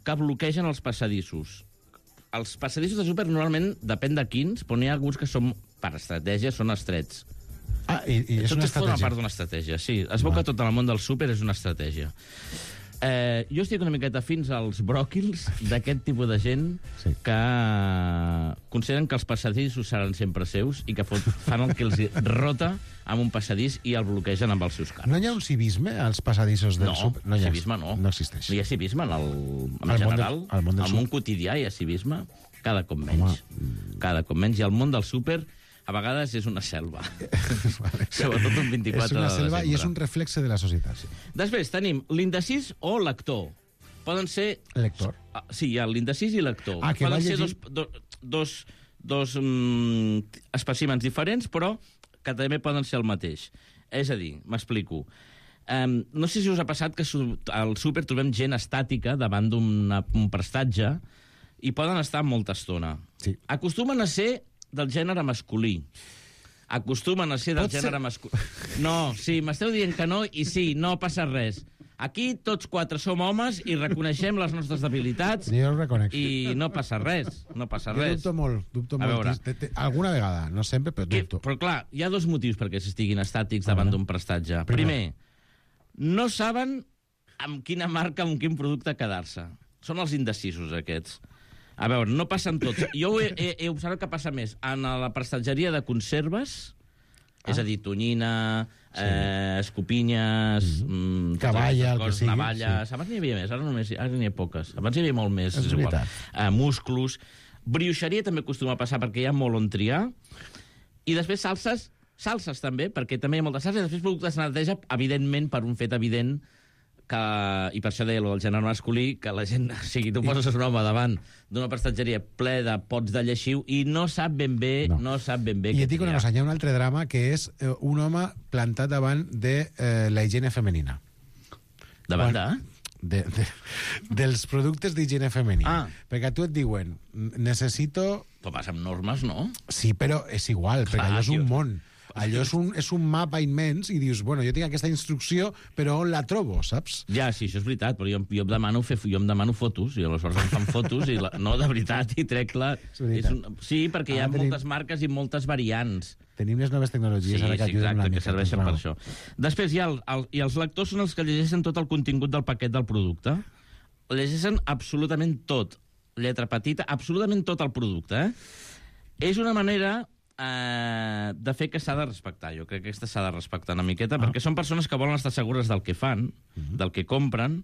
que bloquegen els passadissos. Els passadissos del súper normalment depèn de quins, però n'hi ha alguns que són, per estratègia, són estrets. Ah, i, i és tot una és forma estratègia. part d'una estratègia, sí. Es veu que tot el món del súper és una estratègia. Eh, jo estic una miqueta fins als bròquils d'aquest tipus de gent sí. que consideren que els passadissos seran sempre seus i que fan el que els rota amb un passadís i el bloquegen amb els seus carros. No hi ha un civisme als passadissos del no, súper? No, civisme no. No existeix. No hi ha civisme en, el, en al general. Món del, al món del al món quotidià hi ha civisme, cada cop menys. Home. Cada cop menys. I el món del súper a vegades és una selva. Vale. Sobretot un vint-i-quatre de desembre. És una selva i és un reflexe de la societat. Sí. Després tenim l'indecís o lector. Poden ser... Lector. Sí, hi ha l'indecís i lector. Ah, que Poden va ser llegir... dos, dos, dos, dos mm, espècimens diferents, però que també poden ser el mateix. És a dir, m'explico. Um, no sé si us ha passat que al súper trobem gent estàtica davant d'un prestatge i poden estar molta estona. Sí. Acostumen a ser del gènere masculí. Acostumen a ser del Pot gènere ser... masculí. No, sí, m'esteu dient que no, i sí, no passa res. Aquí tots quatre som homes i reconeixem les nostres debilitats. Jo ho reconec. I no passa res, no passa res. Jo dubto molt, dubto a molt. Te, te, alguna vegada, no sempre, però que, dubto. Però clar, hi ha dos motius perquè s'estiguin estàtics davant d'un prestatge. Primer, no saben amb quina marca, amb quin producte quedar-se. Són els indecisos, aquests. A veure, no passen tots. Jo he, he, he observat que passa més en la prestatgeria de conserves, ah. és a dir, tonyina, sí. eh, escopinyes... Mm. Cavalla, el que sigui. Navalles... Sí. Abans n'hi havia més, ara només ara n'hi ha poques. Abans n'hi havia molt més, és, és igual. Eh, musclos... Brioixeria també acostuma a passar perquè hi ha molt on triar. I després salses, salses també, perquè també hi ha moltes salses. I després productes de neteja, evidentment, per un fet evident, que, i per això deia el gènere masculí, que la gent, o sigui, tu poses un home davant d'una prestatgeria ple de pots de lleixiu i no sap ben bé, no, no sap ben bé I et dic una cosa, hi ha un altre drama que és eh, un home plantat davant de eh, la higiene femenina. Davant de? De, de, dels productes d'higiene femenina. Ah. Perquè a tu et diuen, necessito... Però vas amb normes, no? Sí, però és igual, Clar, perquè allò és un tio. món. Allò és un, és un mapa immens i dius, bueno, jo tinc aquesta instrucció, però on la trobo, saps? Ja, sí, això és veritat, però jo, jo, em, demano fer, jo em demano fotos, i aleshores em fan fotos, i la, no, de veritat, i trec la... És un, sí, perquè hi ha ah, tenim, moltes marques i moltes variants. Tenim les noves tecnologies sí, ara que sí, ajuden exacte, una que mica. serveixen Doncs, per això. Després hi ha el, el, i els lectors són els que llegeixen tot el contingut del paquet del producte. Llegeixen absolutament tot. Lletra petita, absolutament tot el producte, eh? És una manera... Uh, de fer que s'ha de respectar. Jo crec que aquesta s'ha de respectar una miqueta, ah. perquè són persones que volen estar segures del que fan, uh-huh. del que compren,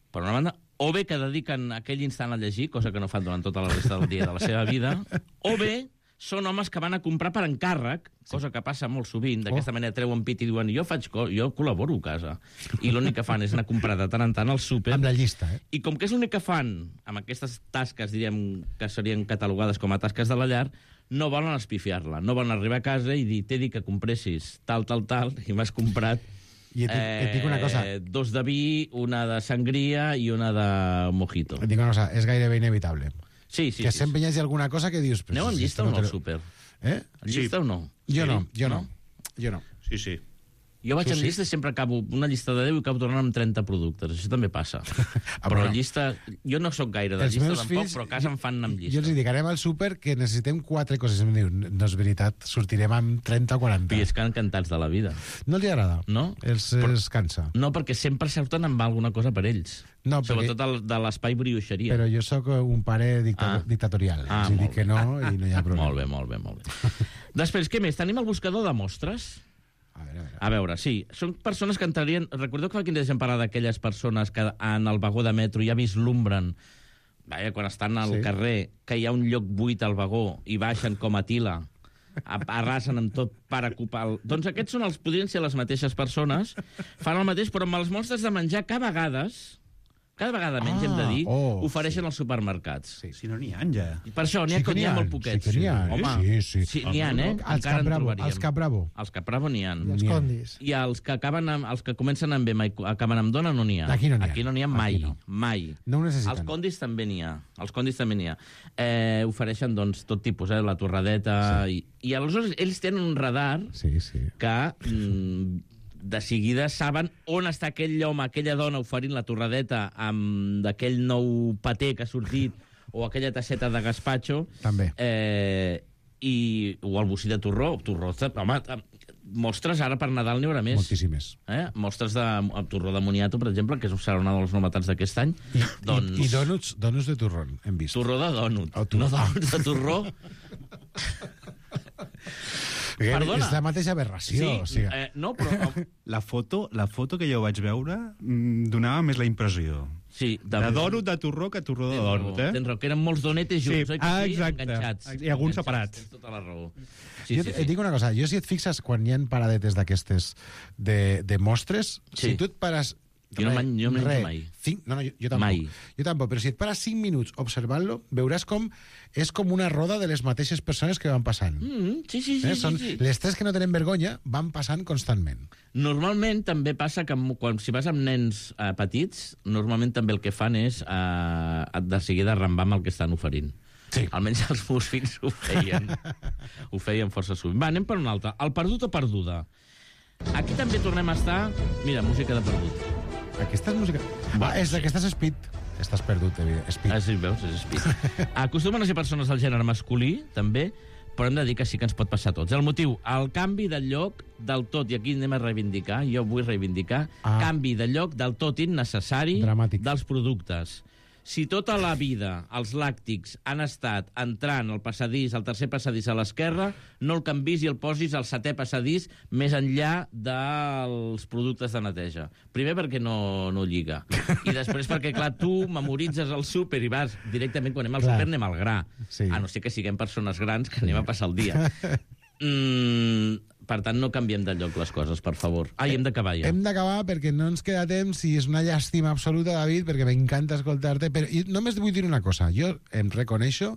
per una banda, o bé que dediquen aquell instant a llegir, cosa que no fan durant tota la resta del dia de la seva vida, o bé són homes que van a comprar per encàrrec, cosa que passa molt sovint, d'aquesta oh. manera treuen pit i diuen jo faig co jo col·laboro a casa, i l'únic que fan és anar a comprar de tant en tant al súper. Amb la llista, eh? I com que és l'únic que fan amb aquestes tasques, diríem, que serien catalogades com a tasques de la llar, no volen espifiar-la, no volen arribar a casa i dir, t'he dit que compressis tal, tal, tal, i m'has comprat I et, eh, et dic una cosa. dos de vi, una de sangria i una de mojito. Et dic una cosa, és gairebé inevitable. Sí, sí. Que sí, sempre sí. hi hagi alguna cosa que dius... Aneu amb llista o no al súper? Eh? Llista o no? Jo sí. no, jo no. no. Jo no. Sí, sí. Jo vaig Tu amb sí? llista i sempre acabo una llista de deu i acabo tornant amb trenta productes. Això també passa. Ah, però bueno. llista... Jo no sóc gaire de Els llista meus tampoc, fills, però a casa em fan amb llista. Jo els dic, anem al súper que necessitem quatre coses. Em diu, no és veritat, sortirem amb trenta o quaranta. I és que encantats de la vida. No els agrada? No? Els, però, els cansa? No, perquè sempre surten amb alguna cosa per ells. No, perquè... Sobretot el, de l'espai brioixeria. Però jo sóc un pare dicta... ah. dictatorial. Ah, els dic que no i no hi ha problema. Molt bé, molt bé, molt bé. Després, què més? Tenim el buscador de mostres. A veure, a veure. A veure, sí. Són persones que entrarien... Recordeu que fa quin dia deixem parlar d'aquelles persones que en el vagó de metro ja vislumbren, vaja, quan estan al sí. carrer, que hi ha un lloc buit al vagó i baixen com a tila, arrasen amb tot per ocupar... El... Doncs aquests són els, podrien ser les mateixes persones, fan el mateix, però amb els monstres de menjar que a vegades, cada vegada menys, Ah, hem de dir, oh, ofereixen als supermercats. Sí. Si no n'hi ha, ja. I per això n'hi ha, Sí que n'hi ha n'hi ha, molt poquets. sí que n'hi ha, Home, sí, sí. sí n'hi ha, eh? Els Encara en Capravo, trobaríem. els Capravo. Els Capravo n'hi ha. I els condis. I els que acaben amb, els que comencen amb M i acaben amb dona no n'hi ha. Aquí no n'hi ha. Aquí no n'hi ha mai. Aquí no. Mai. No ho necessiten. Els condis també n'hi ha. Els condis també n'hi ha. Eh, ofereixen, doncs, tot tipus, eh? La torradeta... Sí. I, I aleshores ells tenen un radar sí, sí. que... Mm, de seguida saben on està aquell home, aquella dona oferint la torradeta amb d'aquell nou paté que ha sortit o aquella tasseta de gazpacho. També. Eh, i, o el bocí de torró. Torró, home, mostres ara per Nadal n'hi haurà més. Moltíssimes. Eh? Mostres de torró de moniato, per exemple, que serà una de les novetats d'aquest any. I, doncs... i, i donuts, donuts de turrón, hem vist. Torró de donut. Oh, torró. No donuts de torró. Perdona. És la mateixa aberració. Sí, o sigui. eh, no, però... La foto, la foto que jo vaig veure mm, donava més la impressió. Sí, de, de donut de torró que torró de donut, eh? Tens raó, que eren molts donetes junts, sí, oi que ah, sí? exacte. Enganxats. I alguns separats. Tens tota la raó. Sí, Jo sí, et sí. dic una cosa, jo si et fixes quan hi ha paradetes d'aquestes de, de mostres, Sí. si tu et pares... Jo no man- jo no menjo Re, mai. Cinc, no, no, jo, jo tampoc. Mai. Jo tampoc, però si et pares cinc minuts observant-lo, veuràs com és com una roda de les mateixes persones que van passant. Mm, sí, sí, sí, eh? sí, Són sí. les tres que no tenen vergonya van passant constantment. Normalment també passa que m- quan, si vas amb nens eh, petits, normalment també el que fan és eh, de seguida arrambar amb el que estan oferint. Sí. Almenys els meus fills ho feien. Ho feien força sovint. Va, anem per un altre. El perdut o perduda. Aquí també tornem a estar... Mira, música de perdut. Aquesta és música... Va, Ah, és sí. aquesta és Speed. Estàs perdut, evident. Speed. Ah, sí, veus? És speed. Acostumen a ser persones del gènere masculí, també, però hem de dir que sí que ens pot passar a tots. El motiu, el canvi de lloc del tot, i aquí anem a reivindicar, jo vull reivindicar, Ah. canvi de lloc del tot innecessari Dramàtic. dels productes. Si tota la vida els làctics han estat entrant al passadís, al tercer passadís a l'esquerra, no el canvis i el posis al setè passadís més enllà dels productes de neteja. Primer perquè no, no lliga. I després perquè, clar, tu memoritzes el súper i vas directament, quan anem al Clar. súper anem al gra. Sí. A no ser que siguem persones grans que anem a passar el dia. Mm, per tant, no canviem de lloc les coses, per favor. Ai, hem d'acabar ja. Hem d'acabar perquè no ens queda temps i és una llàstima absoluta, David, perquè m'encanta escoltar-te, però i només vull dir una cosa. Jo em reconeixo,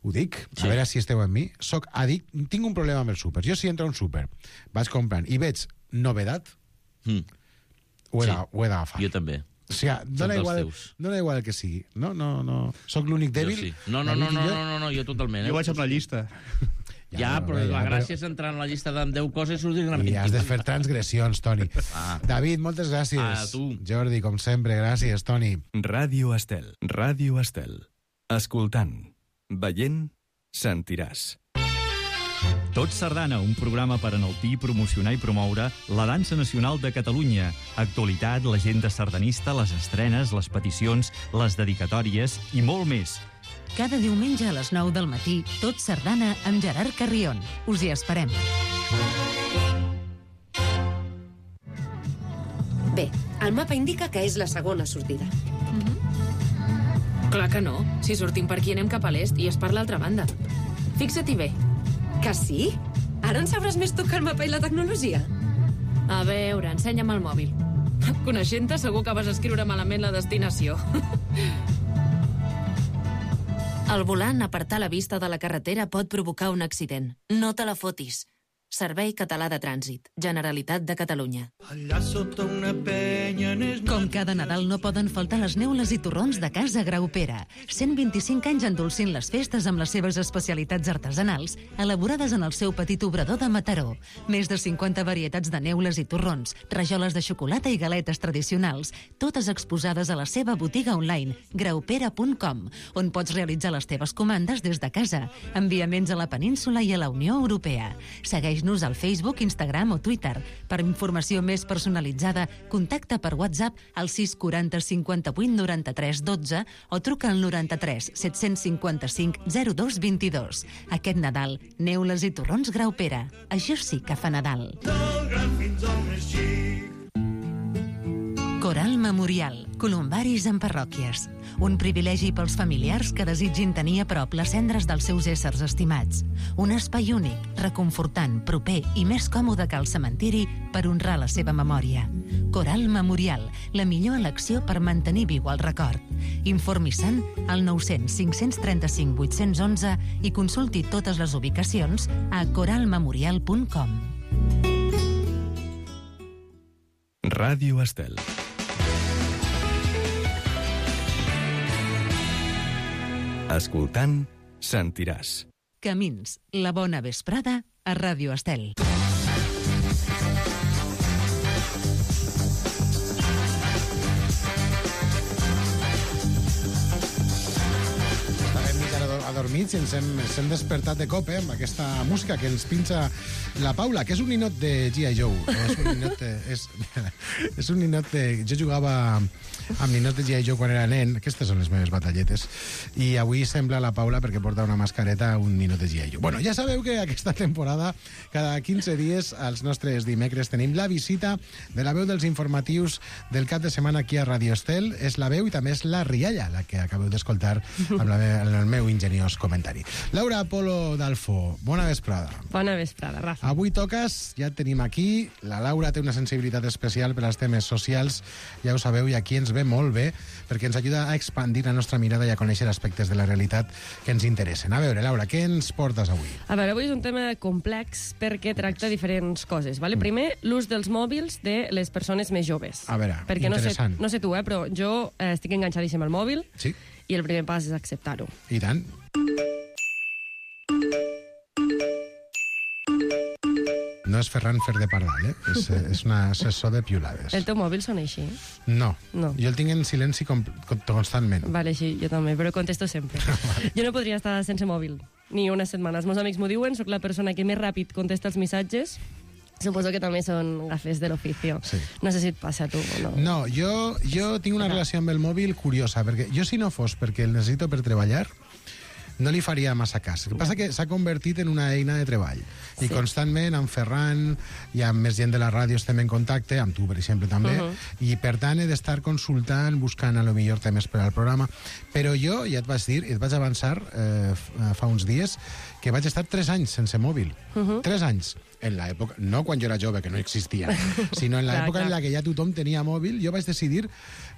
ho dic, Sí. a veure si esteu amb mi, soc addict, tinc un problema amb els súpers. Jo si entro a un súper, vaig comprant i veig novedat, Mm, ho he Sí. de- ho he d'agafar. jo també. O sigui, dona dels igual, teus. dona igual el que sigui. No, no, no. Soc l'únic Jo dèbil. sí. No, no, no, David i no, jo. no, no, no, jo totalment. Jo Eh? vaig amb la llista. Ja, però ja, la però- gràcia és entrar en la llista de deu coses i sortir amb I has de vint-i-vuit. fer transgressions, Toni. Ah. David, moltes gràcies. A tu. Jordi, com sempre, gràcies, Toni. Ràdio Estel. Ràdio Estel. Escoltant, veient, sentiràs. Tot Sardana, un programa per enaltir, promocionar i promoure la dansa nacional de Catalunya. Actualitat, l'agenda sardanista, les estrenes, les peticions, les dedicatòries i molt més. Cada diumenge a les nou del matí, Tot Sardana amb Gerard Carrion. Us hi esperem. Bé, el mapa indica que és la segona sortida. Clar que no. Si sortim per aquí anem cap a l'est i és per l'altra banda. Fixa-t'hi bé. Que sí? Ara en sabràs més tu que el mapa i la tecnologia? A veure, ensenya'm el mòbil. Coneixent-te, segur que vas escriure malament la destinació. Al volant, apartar la vista de la carretera pot provocar un accident. No te la fotis. Servei Català de Trànsit. Generalitat de Catalunya. Com cada Nadal no poden faltar les neules i torrons de Casa Graupera. cent vint-i-cinc anys endolcint les festes amb les seves especialitats artesanals, elaborades en el seu petit obrador de Mataró. Més de cinquanta varietats de neules i torrons, rajoles de xocolata i galetes tradicionals, totes exposades a la seva botiga online, graupera punt com, on pots realitzar les teves comandes des de casa, enviaments a la península i a la Unió Europea. Segueix-nos al Facebook, Instagram o Twitter. Per informació més personalitzada, contacta per WhatsApp al sis quaranta cinquanta-vuit noranta-tres dotze o truca al noranta-tres set-cents cinquanta-cinc zero dos vint-i-dos. Aquest Nadal, neules i torrons Graupera. Això sí que fa Nadal. Coral Memorial, columbaris en parròquies. Un privilegi pels familiars que desitgin tenir a prop les cendres dels seus éssers estimats. Un espai únic, reconfortant, proper i més còmode que el cementiri per honrar la seva memòria. Coral Memorial, la millor elecció per mantenir viu el record. Informi-se'n al nou cents cinc cents trenta-cinc vuit cents onze i consulti totes les ubicacions a coral memorial punt com. Ràdio Estel. Escoltant, sentiràs. Camins, la bona vesprada a Ràdio Estel. Adormits i ens hem, ens hem despertat de cop, eh, amb aquesta música que ens pinxa la Paula, que és un ninot de G I. Joe. És un ninot de... És, és un ninot de... Jo jugava amb ninot de G I. Joe quan era nen. Aquestes són les meves batalletes. I avui sembla la Paula, perquè porta una mascareta, un ninot de G I. Joe. Bueno, ja sabeu que aquesta temporada, cada quinze dies, als nostres dimecres, tenim la visita de la veu dels informatius del cap de setmana aquí a Radio Estel. És la veu i també és la rialla, la que acabeu d'escoltar amb, la, amb el meu ingeniós comentari. Laura Polo d'Alfo, bona vesprada. Bona vesprada, Rafa. Avui toques, ja et tenim aquí. La Laura té una sensibilitat especial per als temes socials, ja ho sabeu, i aquí ens ve molt bé, perquè ens ajuda a expandir la nostra mirada i a conèixer aspectes de la realitat que ens interessen. A veure, Laura, què ens portes avui? A veure, avui és un tema complex perquè tracta diferents coses. Vale? Mm. Primer, l'ús dels mòbils de les persones més joves. A veure, perquè interessant. No sé, no sé tu, eh, però jo eh, estic enganxadíssim al mòbil. Sí. I el primer pas és acceptar-ho. I tant. No és Ferran Fer de Pardal, eh? És, és un assessor de piulades. El teu mòbil sona així? No. no. Jo el tinc en silenci com, com, constantment. Vale, sí, jo també, però contesto sempre. Vale. Jo no podria estar sense mòbil, ni unes setmanes. Els meus amics m'ho diuen, soc la persona que més ràpid contesta els missatges. Suposo que també són gafes de l'oficio. Sí. No sé si et passa a tu o no. No, jo, jo tinc una relació amb el mòbil curiosa, perquè jo si no fos perquè el necessito per treballar, no li faria massa cas. El que passa que s'ha convertit en una eina de treball. I sí. Constantment amb Ferran i amb més gent de la ràdio estem en contacte, amb tu, per exemple, també, uh -huh. i per tant he d'estar consultant, buscant a lo millor temes per al programa. Però jo, ja et vaig dir, et vaig avançar eh, fa uns dies, que vaig estar tres anys sense mòbil. Uh -huh. Tres anys. En l'època, no quan jo era jove, que no existia, sinó en l'època en la que ja tothom tenia mòbil, jo vaig decidir,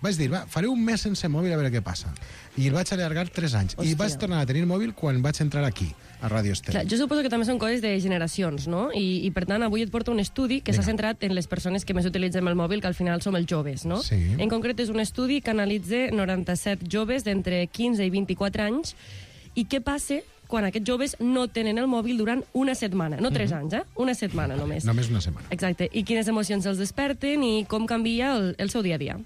vaig dir, va, faré un mes sense mòbil a veure què passa. I el vaig allargar tres anys. Hòstia. I vaig tornar a tenir mòbil quan vaig entrar aquí, a Ràdio Estel. Clar, jo suposo que també són coses de generacions, no? I, i per tant, avui et porto un estudi que s'ha centrat en les persones que més utilitzem el mòbil, que al final som els joves, no? Sí. En concret, és un estudi que analitza noranta-set joves d'entre quinze i vint-i-quatre anys. I què passa quan aquests joves no tenen el mòbil durant una setmana, no tres anys, eh? Una setmana només. Només una setmana. Exacte. I quines emocions els desperten i com canvia el, el seu dia a dia.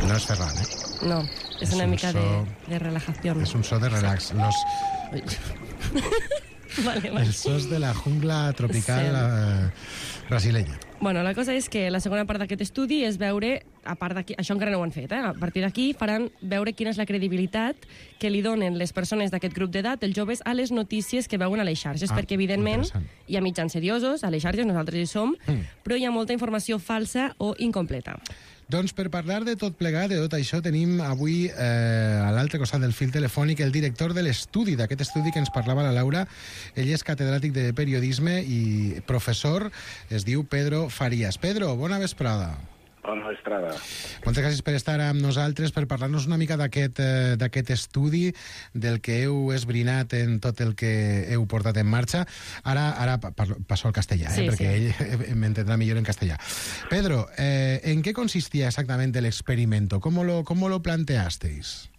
No és Ferran, eh? No, és, és una un mica so... de, de relajació. És un so de relax. Los... vale, vale. Els sos de la jungla tropical sí. eh, brasileña. Bueno, la cosa és que la segona part d'aquest estudi és veure, a part d'aquí, això encara no ho han fet, eh? A partir d'aquí faran veure quina és la credibilitat que li donen les persones d'aquest grup d'edat, els joves, a les notícies que veuen a les xarxes, ah, perquè evidentment hi ha mitjans seriosos, a les xarxes nosaltres hi som, mm. però hi ha molta informació falsa o incompleta. Doncs per parlar de tot plegat, de tot això, tenim avui eh, a l'altre costat del fil telefònic el director de l'estudi, d'aquest estudi que ens parlava la Laura. Ell és catedràtic de periodisme i professor, es diu Pedro Farías. Pedro, bona vesprada. Bona vesprada. Moltes gràcies per estar amb nosaltres, per parlar-nos una mica d'aquest eh, d'aquest estudi, del que heu esbrinat en tot el que heu portat en marxa. Ara, ara passo al castellà, eh, sí, perquè sí. Ell m'entendrà millor en castellà. Pedro, eh, ¿en qué consistía exactamente el experimento? ¿Cómo lo, cómo lo planteasteis?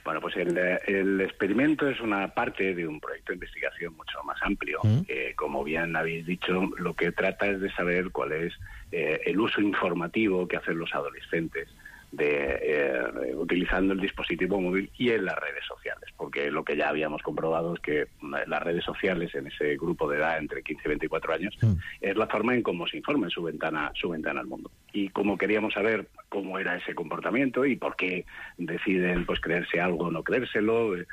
Bueno, pues el, el experimento es una parte de un proyecto de investigación mucho más amplio. ¿Mm? Eh, como bien habéis dicho, lo que trata es de saber cuál es eh, el uso informativo que hacen los adolescentes de eh, utilizando el dispositivo móvil y en las redes sociales, porque lo que ya habíamos comprobado es que las redes sociales en ese grupo de edad entre quince y veinticuatro años mm. es la forma en cómo se informa en su ventana, su ventana al mundo. Y como queríamos saber cómo era ese comportamiento y por qué deciden pues creerse algo o no creérselo, eh,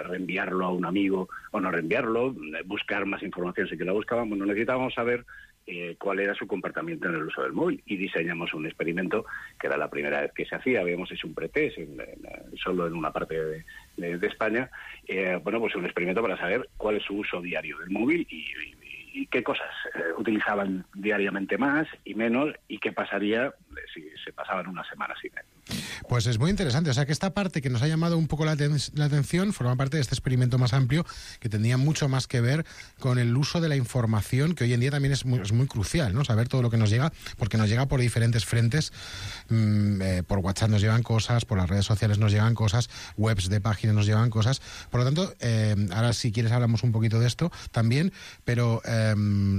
reenviarlo a un amigo o no reenviarlo, buscar más información si que la buscaban, bueno, necesitábamos saber Eh, cuál era su comportamiento en el uso del móvil, y diseñamos un experimento que era la primera vez que se hacía. Habíamos hecho un pretest en, en, solo en una parte de, de, de España, eh, bueno, pues un experimento para saber cuál es su uso diario del móvil y, y, y qué cosas eh, utilizaban diariamente más y menos, y qué pasaría si se pasaban una semana sin él. Pues es muy interesante, o sea que esta parte que nos ha llamado un poco la, ten la atención forma parte de este experimento más amplio que tendría mucho más que ver con el uso de la información, que hoy en día también es muy, es muy crucial, ¿no? Saber todo lo que nos llega, porque nos llega por diferentes frentes, mmm, eh, por WhatsApp nos llegan cosas, por las redes sociales nos llegan cosas, webs de páginas nos llegan cosas, por lo tanto, eh, ahora si quieres hablamos un poquito de esto también, pero eh,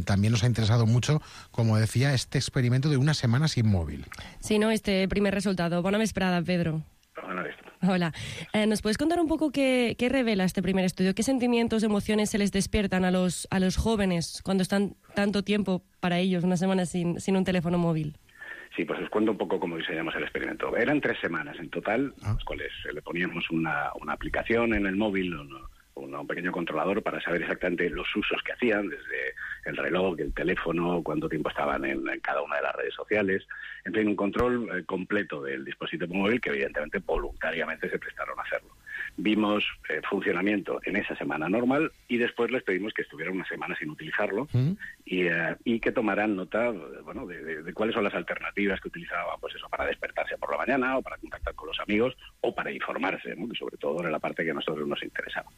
también nos ha interesado mucho, como decía, este experimento de una semana sin móvil. Sí, no, este primer resultado. Bona vesprada, Pedro. Bona vesprada. Hola. Eh, ¿Nos puedes contar un poco qué, qué revela este primer estudio? ¿Qué sentimientos, emociones se les despiertan a los, a los jóvenes cuando están tanto tiempo para ellos, una semana sin, sin un teléfono móvil? Sí, pues os cuento un poco cómo diseñamos el experimento. Eran tres semanas en total, ah. las cuales le poníamos una, una aplicación en el móvil, un, un pequeño controlador para saber exactamente los usos que hacían, desde el reloj, el teléfono, cuánto tiempo estaban en, en cada una de las redes sociales. En fin, un control eh, completo del dispositivo móvil que evidentemente voluntariamente se prestaron a hacerlo. Vimos eh, funcionamiento en esa semana normal y después les pedimos que estuvieran una semana sin utilizarlo ¿Mm? y, eh, y que tomaran nota bueno, de, de, de cuáles son las alternativas que utilizaban, pues eso, para despertarse por la mañana o para contactar con los amigos o para informarse, ¿no? Que sobre todo era la parte que a nosotros nos interesaba.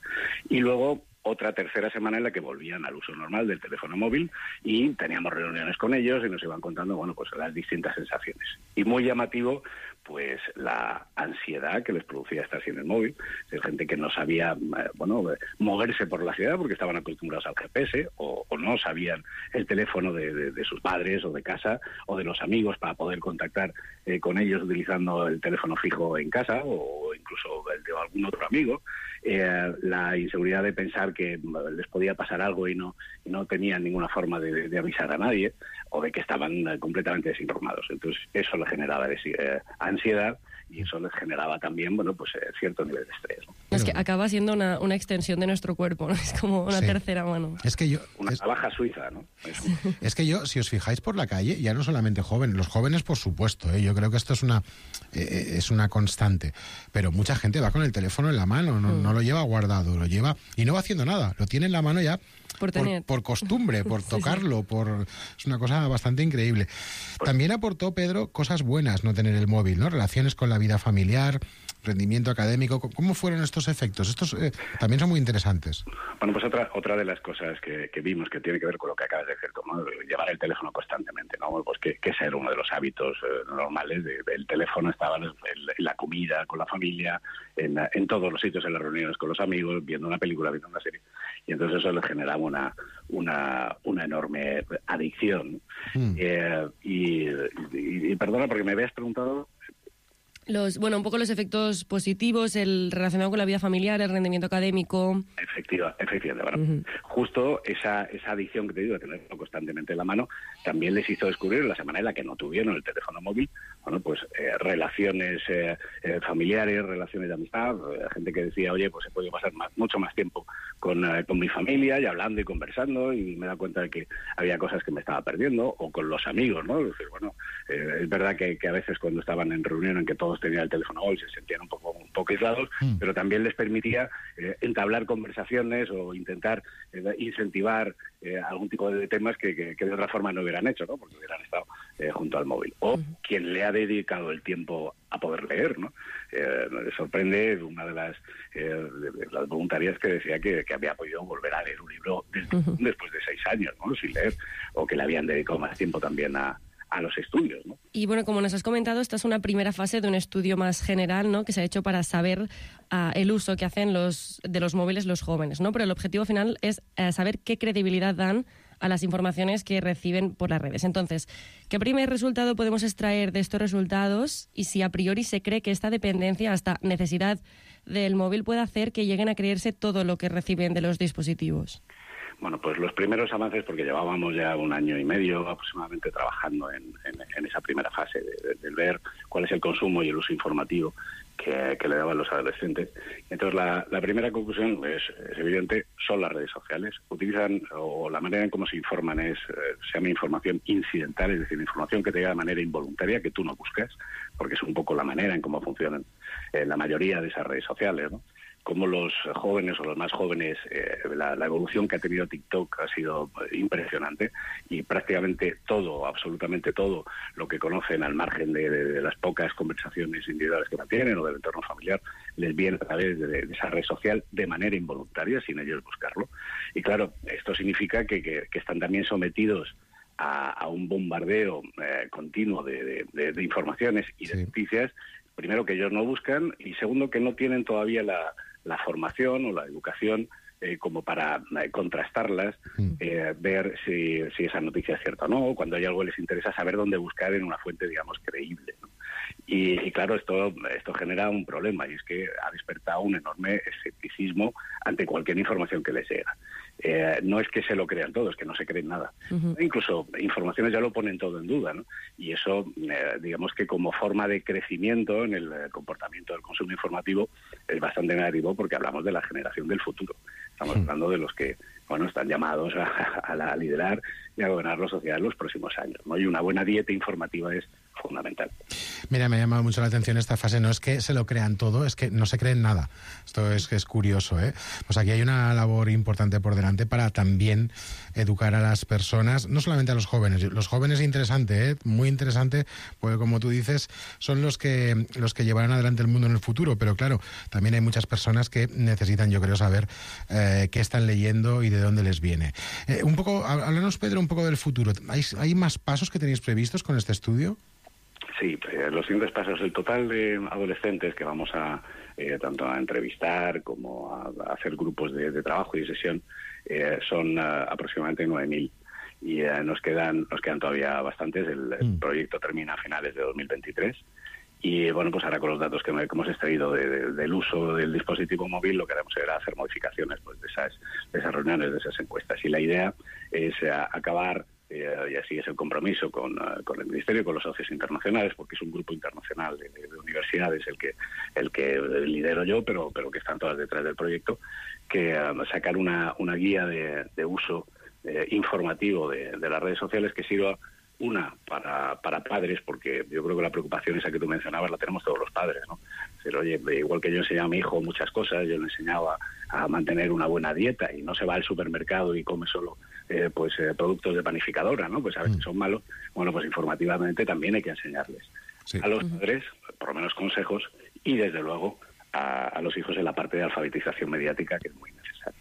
Y luego otra tercera semana en la que volvían al uso normal del teléfono móvil y teníamos reuniones con ellos y nos iban contando, bueno, pues las distintas sensaciones. Y muy llamativo, pues la ansiedad que les producía estar sin el móvil, de gente que no sabía, bueno, moverse por la ciudad porque estaban acostumbrados al G P S o, o no sabían el teléfono de, de, de sus padres o de casa o de los amigos para poder contactar eh, con ellos utilizando el teléfono fijo en casa o incluso el de algún otro amigo. Eh, la inseguridad de pensar que les podía pasar algo y no, y no tenían ninguna forma de, de avisar a nadie, o de que estaban eh, completamente desinformados. Entonces eso les generaba eh, ansiedad y eso les generaba también, bueno, pues eh, cierto nivel de estrés, ¿no? Es que acaba siendo una, una extensión de nuestro cuerpo, ¿no? Es como una sí. tercera mano. Es que yo... Una es... navaja suiza, ¿no? Es... es que yo, si os fijáis por la calle, ya no solamente jóvenes, los jóvenes por supuesto, ¿eh? Yo creo que esto es una, eh, es una constante, pero mucha gente va con el teléfono en la mano, no, mm. no lo lleva guardado, lo lleva y no va haciendo nada, lo tiene en la mano ya por, tener. por, por costumbre, por sí, tocarlo, sí. por es una cosa bastante increíble. También aportó, Pedro, cosas buenas no tener el móvil, ¿no? Relaciones con la vida familiar, rendimiento académico. ¿Cómo fueron estos efectos? Estos eh, también son muy interesantes. Bueno, pues otra otra de las cosas que, que vimos que tiene que ver con lo que acabas de decir, ¿no? Llevar el teléfono constantemente, ¿no? Pues que, que ese era uno de los hábitos eh, normales. De, el teléfono estaba en, en la comida, con la familia, en, en todos los sitios, en las reuniones con los amigos, viendo una película, viendo una serie. Y entonces eso les generaba una, una, una enorme adicción. Mm. Eh, y, y, y perdona, porque me habías preguntado... Los, bueno, un poco los efectos positivos, el relacionado con la vida familiar, el rendimiento académico. Efectiva, efectivamente. Bueno, uh-huh. Justo esa, esa adicción que te digo de tenerlo constantemente en la mano también les hizo descubrir en la semana en la que no tuvieron el teléfono móvil, bueno, pues eh, relaciones eh, eh, familiares, relaciones de amistad, eh, gente que decía, oye, pues he podido pasar más, mucho más tiempo con, eh, con mi familia y hablando y conversando y me he dado cuenta de que había cosas que me estaba perdiendo, o con los amigos, ¿no? Es decir, bueno, eh, es verdad que, que a veces cuando estaban en reunión en que todos tenían el teléfono móvil se sentían un poco, un poco aislados, mm. pero también les permitía eh, entablar conversaciones o intentar eh, incentivar eh, algún tipo de temas que, que, que de otra forma no hubieran hecho, ¿no? Porque hubieran estado eh, junto al móvil. O mm. quien le ha dedicado el tiempo a poder leer, ¿no? Eh, me sorprende una de las, eh, de, de las voluntarias que decía que, que había podido volver a leer un libro desde, uh-huh. después de seis años, ¿no? Sin leer, o que le habían dedicado más tiempo también a a los estudios, ¿no? Y bueno, como nos has comentado, esta es una primera fase de un estudio más general, ¿no? Que se ha hecho para saber uh, el uso que hacen los de los móviles los jóvenes, ¿no? Pero el objetivo final es uh, saber qué credibilidad dan a las informaciones que reciben por las redes. Entonces, ¿qué primer resultado podemos extraer de estos resultados y si a priori se cree que esta dependencia, hasta necesidad del móvil, puede hacer que lleguen a creerse todo lo que reciben de los dispositivos? Bueno, pues los primeros avances, porque llevábamos ya un año y medio aproximadamente trabajando en, en, en esa primera fase de, de, de ver cuál es el consumo y el uso informativo que, que le daban los adolescentes. Entonces, la, la primera conclusión es, es evidente, son las redes sociales. Utilizan, o la manera en cómo se informan es, eh, se llama información incidental, es decir, información que te llega de manera involuntaria, que tú no buscas, porque es un poco la manera en cómo funcionan eh, la mayoría de esas redes sociales, ¿no? Como los jóvenes o los más jóvenes, eh, la, la evolución que ha tenido TikTok ha sido impresionante y prácticamente todo, absolutamente todo lo que conocen al margen de, de, de las pocas conversaciones individuales que mantienen o del entorno familiar, les viene a través de, de esa red social de manera involuntaria, sin ellos buscarlo. Y claro, esto significa que, que, que están también sometidos a, a un bombardeo eh, continuo de, de, de, de informaciones y de sí. noticias, primero que ellos no buscan y segundo que no tienen todavía la la formación o la educación eh, como para eh, contrastarlas, eh, ver si, si esa noticia es cierta o no, cuando hay algo que les interesa, saber dónde buscar en una fuente, digamos, creíble, ¿no? Y, y claro, esto, esto genera un problema, y es que ha despertado un enorme escepticismo ante cualquier información que les llega. Eh, no es que se lo crean todo, es que no se creen nada. Uh-huh. Incluso informaciones ya lo ponen todo en duda, ¿no? Y eso, eh, digamos que como forma de crecimiento en el eh, comportamiento del consumo informativo es bastante negativo porque hablamos de la generación del futuro. Estamos uh-huh. hablando de los que, bueno, están llamados a, a, a liderar y a gobernar la sociedad en los próximos años, ¿no? Y una buena dieta informativa es fundamental. Mira, me ha llamado mucho la atención esta fase. No es que se lo crean todo, es que no se creen nada. Esto es que es curioso, ¿eh? Pues aquí hay una labor importante por delante para también educar a las personas, no solamente a los jóvenes. Los jóvenes es interesante, ¿eh? Muy interesante, porque como tú dices, son los que los que llevarán adelante el mundo en el futuro. Pero claro, también hay muchas personas que necesitan, yo creo, saber eh, qué están leyendo y de dónde les viene. Eh, un poco, háblanos, Pedro, un poco del futuro. ¿Hay, ¿Hay más pasos que tenéis previstos con este estudio? Sí, eh, los siguientes pasos, el total de adolescentes que vamos a eh, tanto a entrevistar como a, a hacer grupos de, de trabajo y de sesión eh, son uh, aproximadamente nueve mil y eh, nos quedan nos quedan todavía bastantes. El, el mm. proyecto termina a finales de dos mil veintitrés y bueno, pues ahora con los datos que, me, que hemos extraído de, de, del uso del dispositivo móvil, lo que haremos será hacer modificaciones pues de esas, de esas reuniones, de esas encuestas, y la idea es uh, acabar Eh, y así es el compromiso con, uh, con el Ministerio y con los socios internacionales, porque es un grupo internacional de, de universidades el que el que lidero yo, pero pero que están todas detrás del proyecto, que uh, sacar una, una guía de, de uso eh, informativo de, de las redes sociales que sirva, una, para, para padres, porque yo creo que la preocupación esa que tú mencionabas la tenemos todos los padres, ¿no? Pero, oye, igual que yo enseñaba a mi hijo muchas cosas, yo le enseñaba a mantener una buena dieta y no se va al supermercado y come solo eh, pues eh, productos de panificadora, ¿no? Pues a veces son malos. Bueno, pues informativamente también hay que enseñarles sí. a los padres, por lo menos consejos, y desde luego a, a los hijos en la parte de alfabetización mediática, que es muy necesaria.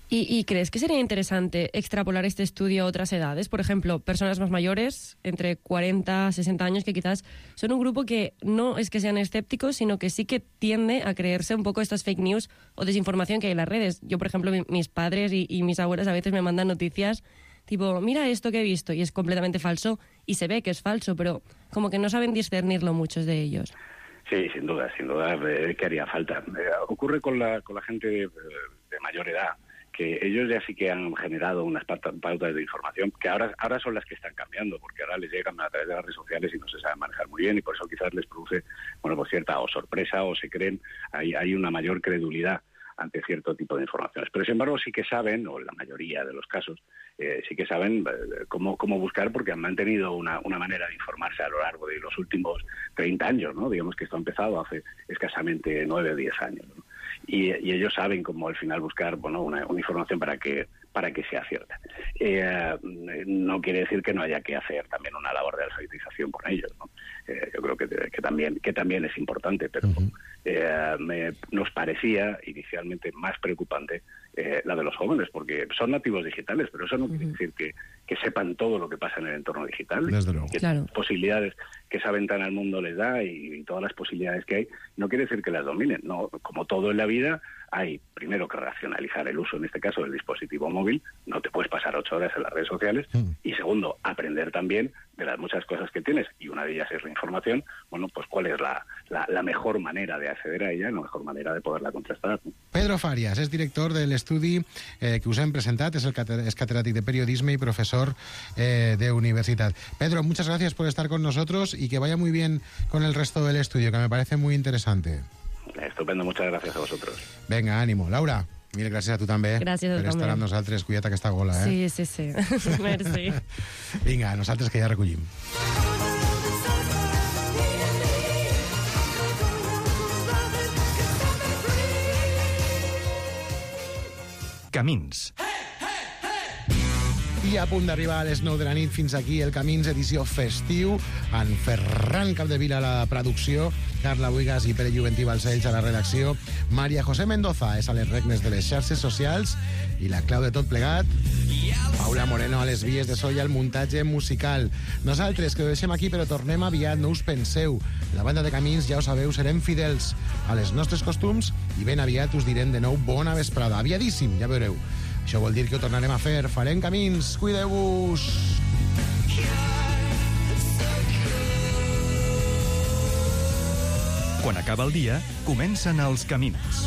¿Y, ¿Y crees que sería interesante extrapolar este estudio a otras edades? Por ejemplo, personas más mayores, entre cuarenta, sesenta años, que quizás son un grupo que no es que sean escépticos, sino que sí que tiende a creerse un poco estas fake news o desinformación que hay en las redes. Yo, por ejemplo, mi, mis padres y, y mis abuelas a veces me mandan noticias tipo, mira esto que he visto, y es completamente falso, y se ve que es falso, pero como que no saben discernirlo muchos de ellos. Sí, sin duda, sin duda, eh, que haría falta. Eh, ocurre con la, con la gente de, de mayor edad, que ellos ya sí que han generado unas pautas de información que ahora ahora son las que están cambiando, porque ahora les llegan a través de las redes sociales y no se saben manejar muy bien, y por eso quizás les produce, bueno, pues cierta o sorpresa, o se creen, hay, hay una mayor credulidad ante cierto tipo de informaciones. Pero sin embargo sí que saben, o en la mayoría de los casos, eh, sí que saben eh, cómo, cómo buscar, porque han mantenido una, una manera de informarse a lo largo de los últimos treinta años, ¿no? Digamos que esto ha empezado hace escasamente nueve o diez años, ¿no? Y, y ellos saben cómo al final buscar, bueno, una, una información para que para que sea cierta. Eh, no quiere decir que no haya que hacer también una labor de alfabetización con ellos, ¿no? Eh, yo creo que, que también que también es importante, pero uh-huh. eh, me, nos parecía inicialmente más preocupante eh, la de los jóvenes, porque son nativos digitales, pero eso no quiere Ujú. decir que, que sepan todo lo que pasa en el entorno digital. Desde luego. Que Claro. posibilidades que esa ventana al mundo les da y, y todas las posibilidades que hay, no quiere decir que las dominen. No, como todo en la vida, hay primero que racionalizar el uso, en este caso del dispositivo móvil, no te puedes pasar ocho horas en las redes sociales, y segundo, aprender también de las muchas cosas que tienes, y una de ellas es la información, bueno, pues cuál es la, la, la mejor manera de acceder a ella, la mejor manera de poderla contrastar. Pedro Fàries és director de l'estudi eh, que us hem presentat, és, el cate- és catedràtic de periodisme y profesor eh, de universitat. Pedro, muchas gracias por estar con nosotros y que vaya muy bien con el resto del estudio, que me parece muy interesante. Estupendo, muchas gracias a vosotros. Venga, ànimo. Laura, mil gràcies a tu també Gràcies a tu per estar també. amb nosaltres. Cuida't aquesta gola, eh? Sí, sí, sí. Merci. Vinga, nosaltres que ja recollim. Camins. I a punt d'arribar a les nou de la nit, fins aquí el Camins, edició festiu, en Ferran Capdevila a la producció, Carla Buigas i Pere Juventí Balcells a la redacció, Maria José Mendoza és a les regnes de les xarxes socials i la clau de tot plegat, Paula Moreno a les vies de so i al muntatge musical. Nosaltres, que ho deixem aquí, però tornem aviat, no us penseu. La banda de Camins, ja ho sabeu, serem fidels a les nostres costums i ben aviat us direm de nou bona vesprada. Aviadíssim, ja veureu. Això vol dir que ho tornarem a fer. Farem Camins. Cuideu-vos. Quan acaba el dia, comencen els camins.